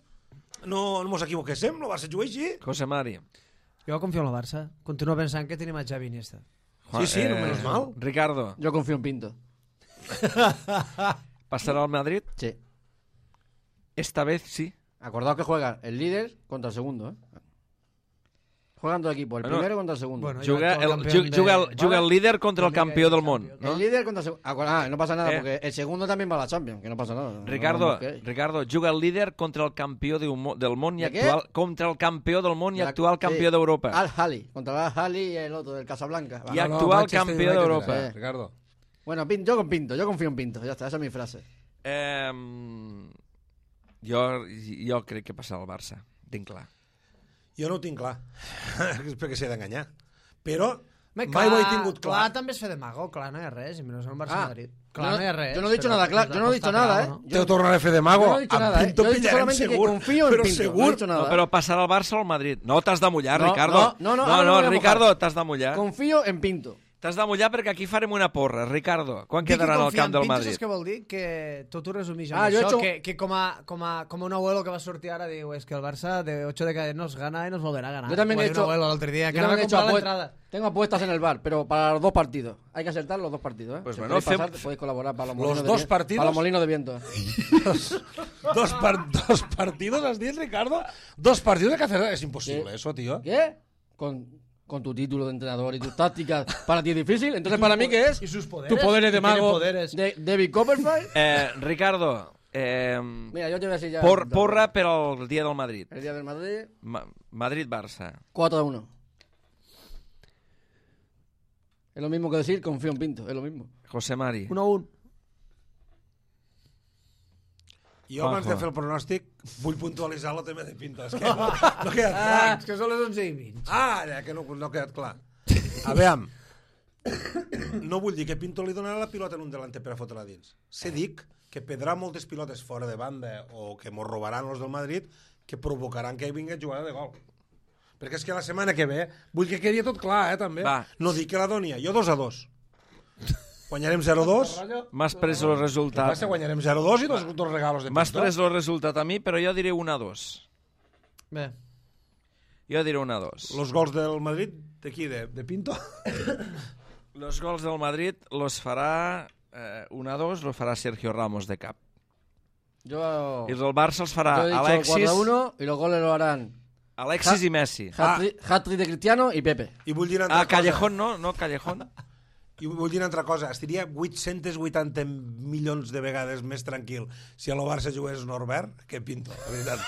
No mos equivoquéssim, el Barça juga així. José Mari. Jo confio en el Barça. Continuo pensant que tenim a Xavi Iniesta. Sí, no menos mal. Ricardo. Yo confío en Pinto. ¿Pasará al Madrid? Sí. Esta vez sí. Acordaos que juega el líder contra el segundo, ¿eh? Juegan dos equipos, el primero contra el segundo. Bueno, juga el líder contra el campeón del mundo, ¿no? El líder contra el segundo. No pasa nada, porque el segundo también va a la Champions, que no pasa nada. Ricardo, juga el líder contra el campeón del mundo y actual contra el campeón del mundo y actual campeón d'Europa. Al-Hali, contra el Al-Hali y el otro del Casablanca. Y actual campeón d'Europa. Ricardo. Bueno, yo confío en Pinto, ya está, esa es mi frase. Jo crec que passarà al Barça, tinc clar. Jo no ho tinc clar, perquè s'he d'enganyar. Però mai clar, ho he tingut clar. Clar, també es fa de mago, clar, no hi ha res, i menys en Barça-Madrid. Clar, no hi ha res. Yo no he dicho nada, claro, yo no he dicho nada, ¿eh? Te ho tornaré a fer de mago. Yo no he dicho nada, ¿eh? Yo he dicho solamente que confío en Pinto, segur. no he dicho nada. No, però passarà al Barça o al Madrid. No, t'has de mullar, No, Ricardo. no, Ricardo, t'has de mullar. Confío en Pinto. T'has de mullar perquè aquí farem una porra, Ricardo. Quan quedaran al camp del Madrid? Saps què vol dir? Que tot ho resumís amb això, que com a un abuelo que va sortir ara diu, és que el Barça de 8 de cadena nos gana y nos volverá a ganar. Yo también he hecho, tengo apuestas en el bar, pero para los dos partidos. Hay que acertar los dos partidos, ¿eh? Pues si bueno, podéis colaborar para los dos partidos. Para los molinos de viento. Dos partidos, has dit, Ricardo? Dos partidos hay que hacer. Es imposible eso, tío. ¿Qué? Con tu título de entrenador y tus tácticas, para ti es difícil. Entonces, para mí, ¿qué es? ¿Y sus poderes? Tu poderes de mago de David Copperfield. Ricardo, mira, yo te voy a decir ya. Porra per al dia del Madrid. El día del Madrid. Madrid-Barça. 4-1. Es lo mismo que decir confío en Pinto, es lo mismo. José Mari. 1-1. Jo, abans de fer el pronòstic, vull puntualitzar el tema de Pinto. És que no ha quedat clar. És que són les 11:20. Ja que no ha quedat clar. A veure, no vull dir que Pinto li donarà la pilota en un delanter per a fotre-la dins. Se dic que perdrà moltes pilotes fora de banda o que mos robaran els del Madrid que provocaran que hi vingui jugada de gol. Perquè és que la setmana que ve vull que quedi tot clar, també. Va. No dic que la doni, jo 2-2. Guanyarem 0-2. M'has pres el resultat. Passa, guanyarem 0-2 i dos regalos de Pinto. M'has pres el resultat a mi, però jo diré 1-2. Bé, Jo diré 1-2. Los gols del Madrid, de qui? De Pinto? Los gols del Madrid los farà 1-2, los farà Sergio Ramos de cap. Yo I els del Barça els farà he dicho Alexis, 4-1 y los goles lo harán Alexis i Messi. hat-trick de Cristiano y Pepe. I vull dir una altra Ah, Callejón no, Callejón. I vull dir una altra cosa, estaria 880 milions de vegades més tranquil si a lo Barça jugués Norbert que Pinto, la veritat.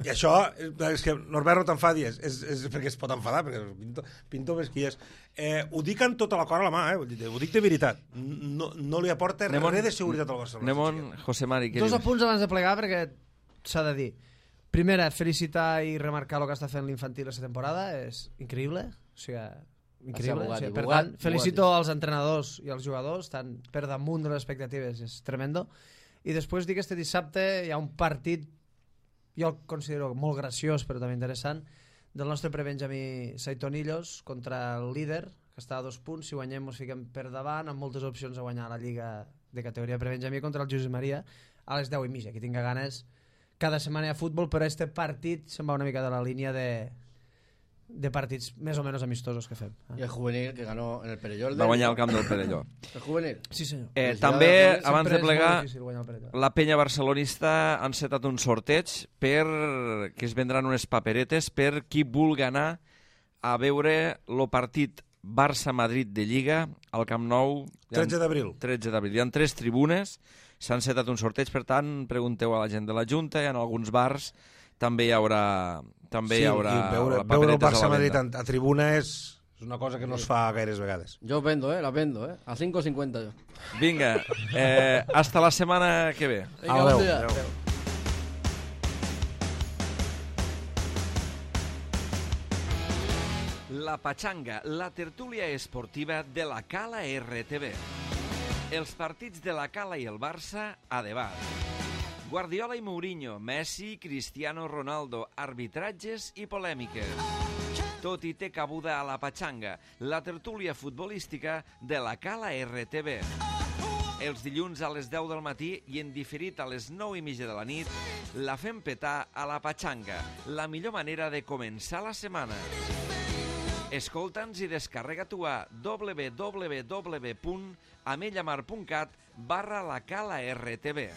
I això, és que Norbert no t'enfadi, és perquè es pot enfadar, perquè Pinto ves qui és. Ho dic amb tota la cor a la mà, ho dic de veritat. No li aporta res de seguretat al Barcelona. Anem, José Mari, què dos dius? apunts abans de plegar perquè s'ha de dir. Primera, felicitar i remarcar el que està fent l'infantil aquesta temporada, és increïble, o sigui, increïble. Bugatti, O sigui, per Bugatti, tant, felicito als entrenadors i als jugadors, estan per damunt de les expectatives, és tremendo. I després dic que este dissabte hi ha un partit, jo el considero molt graciós però també interessant, del nostre prebenjamí Saitonillos contra el líder, que està a 2 punts, si guanyem ens fiquem per davant, amb moltes opcions a guanyar la Lliga de categoria prebenjamí contra el Josep Maria a les 10:30, que tinga ganes. Cada setmana hi ha futbol, però este partit se'n va una mica de la línia de partits més o menys amistosos que fem. Y el juvenil que ganó en el Perelló. Va guanyar el camp del Perelló. El juvenil. Sí, senyor. També, Sempre abans de plegar, És molt difícil guanyar el Perelló. la penya barcelonista han setat un sorteig per que es vendran unes paperetes per qui vulgui anar a veure el partit Barça-Madrid de Lliga al Camp Nou. 13 d'abril. 13 d'abril. Hi ha 3 tribunes, s'han setat un sorteig, per tant, pregunteu a la gent de la Junta, i en alguns bars també hi haurà I veure el paperetes a la Barça-Madrid venda. a tribuna és una cosa que no es fa gaires vegades. Yo vendo, las vendo, a 5,50 yo. Vinga, hasta la setmana que ve. Venga, Adeu. buen día. La Pachanga, la tertúlia esportiva de la Cala RTV. Els partits de la Cala i el Barça a debat. Guardiola i Mourinho, Messi, Cristiano Ronaldo, arbitratges i polèmiques. Tot hi té cabuda a la Pachanga, la tertúlia futbolística de la Cala RTV. Els dilluns a les 10 del matí i en diferit a les 9:30 de la nit, la fem petar a la Pachanga, la millor manera de començar la setmana. Escolta'ns i descarrega-t'ho a www.amellamar.cat/la Cala RTV.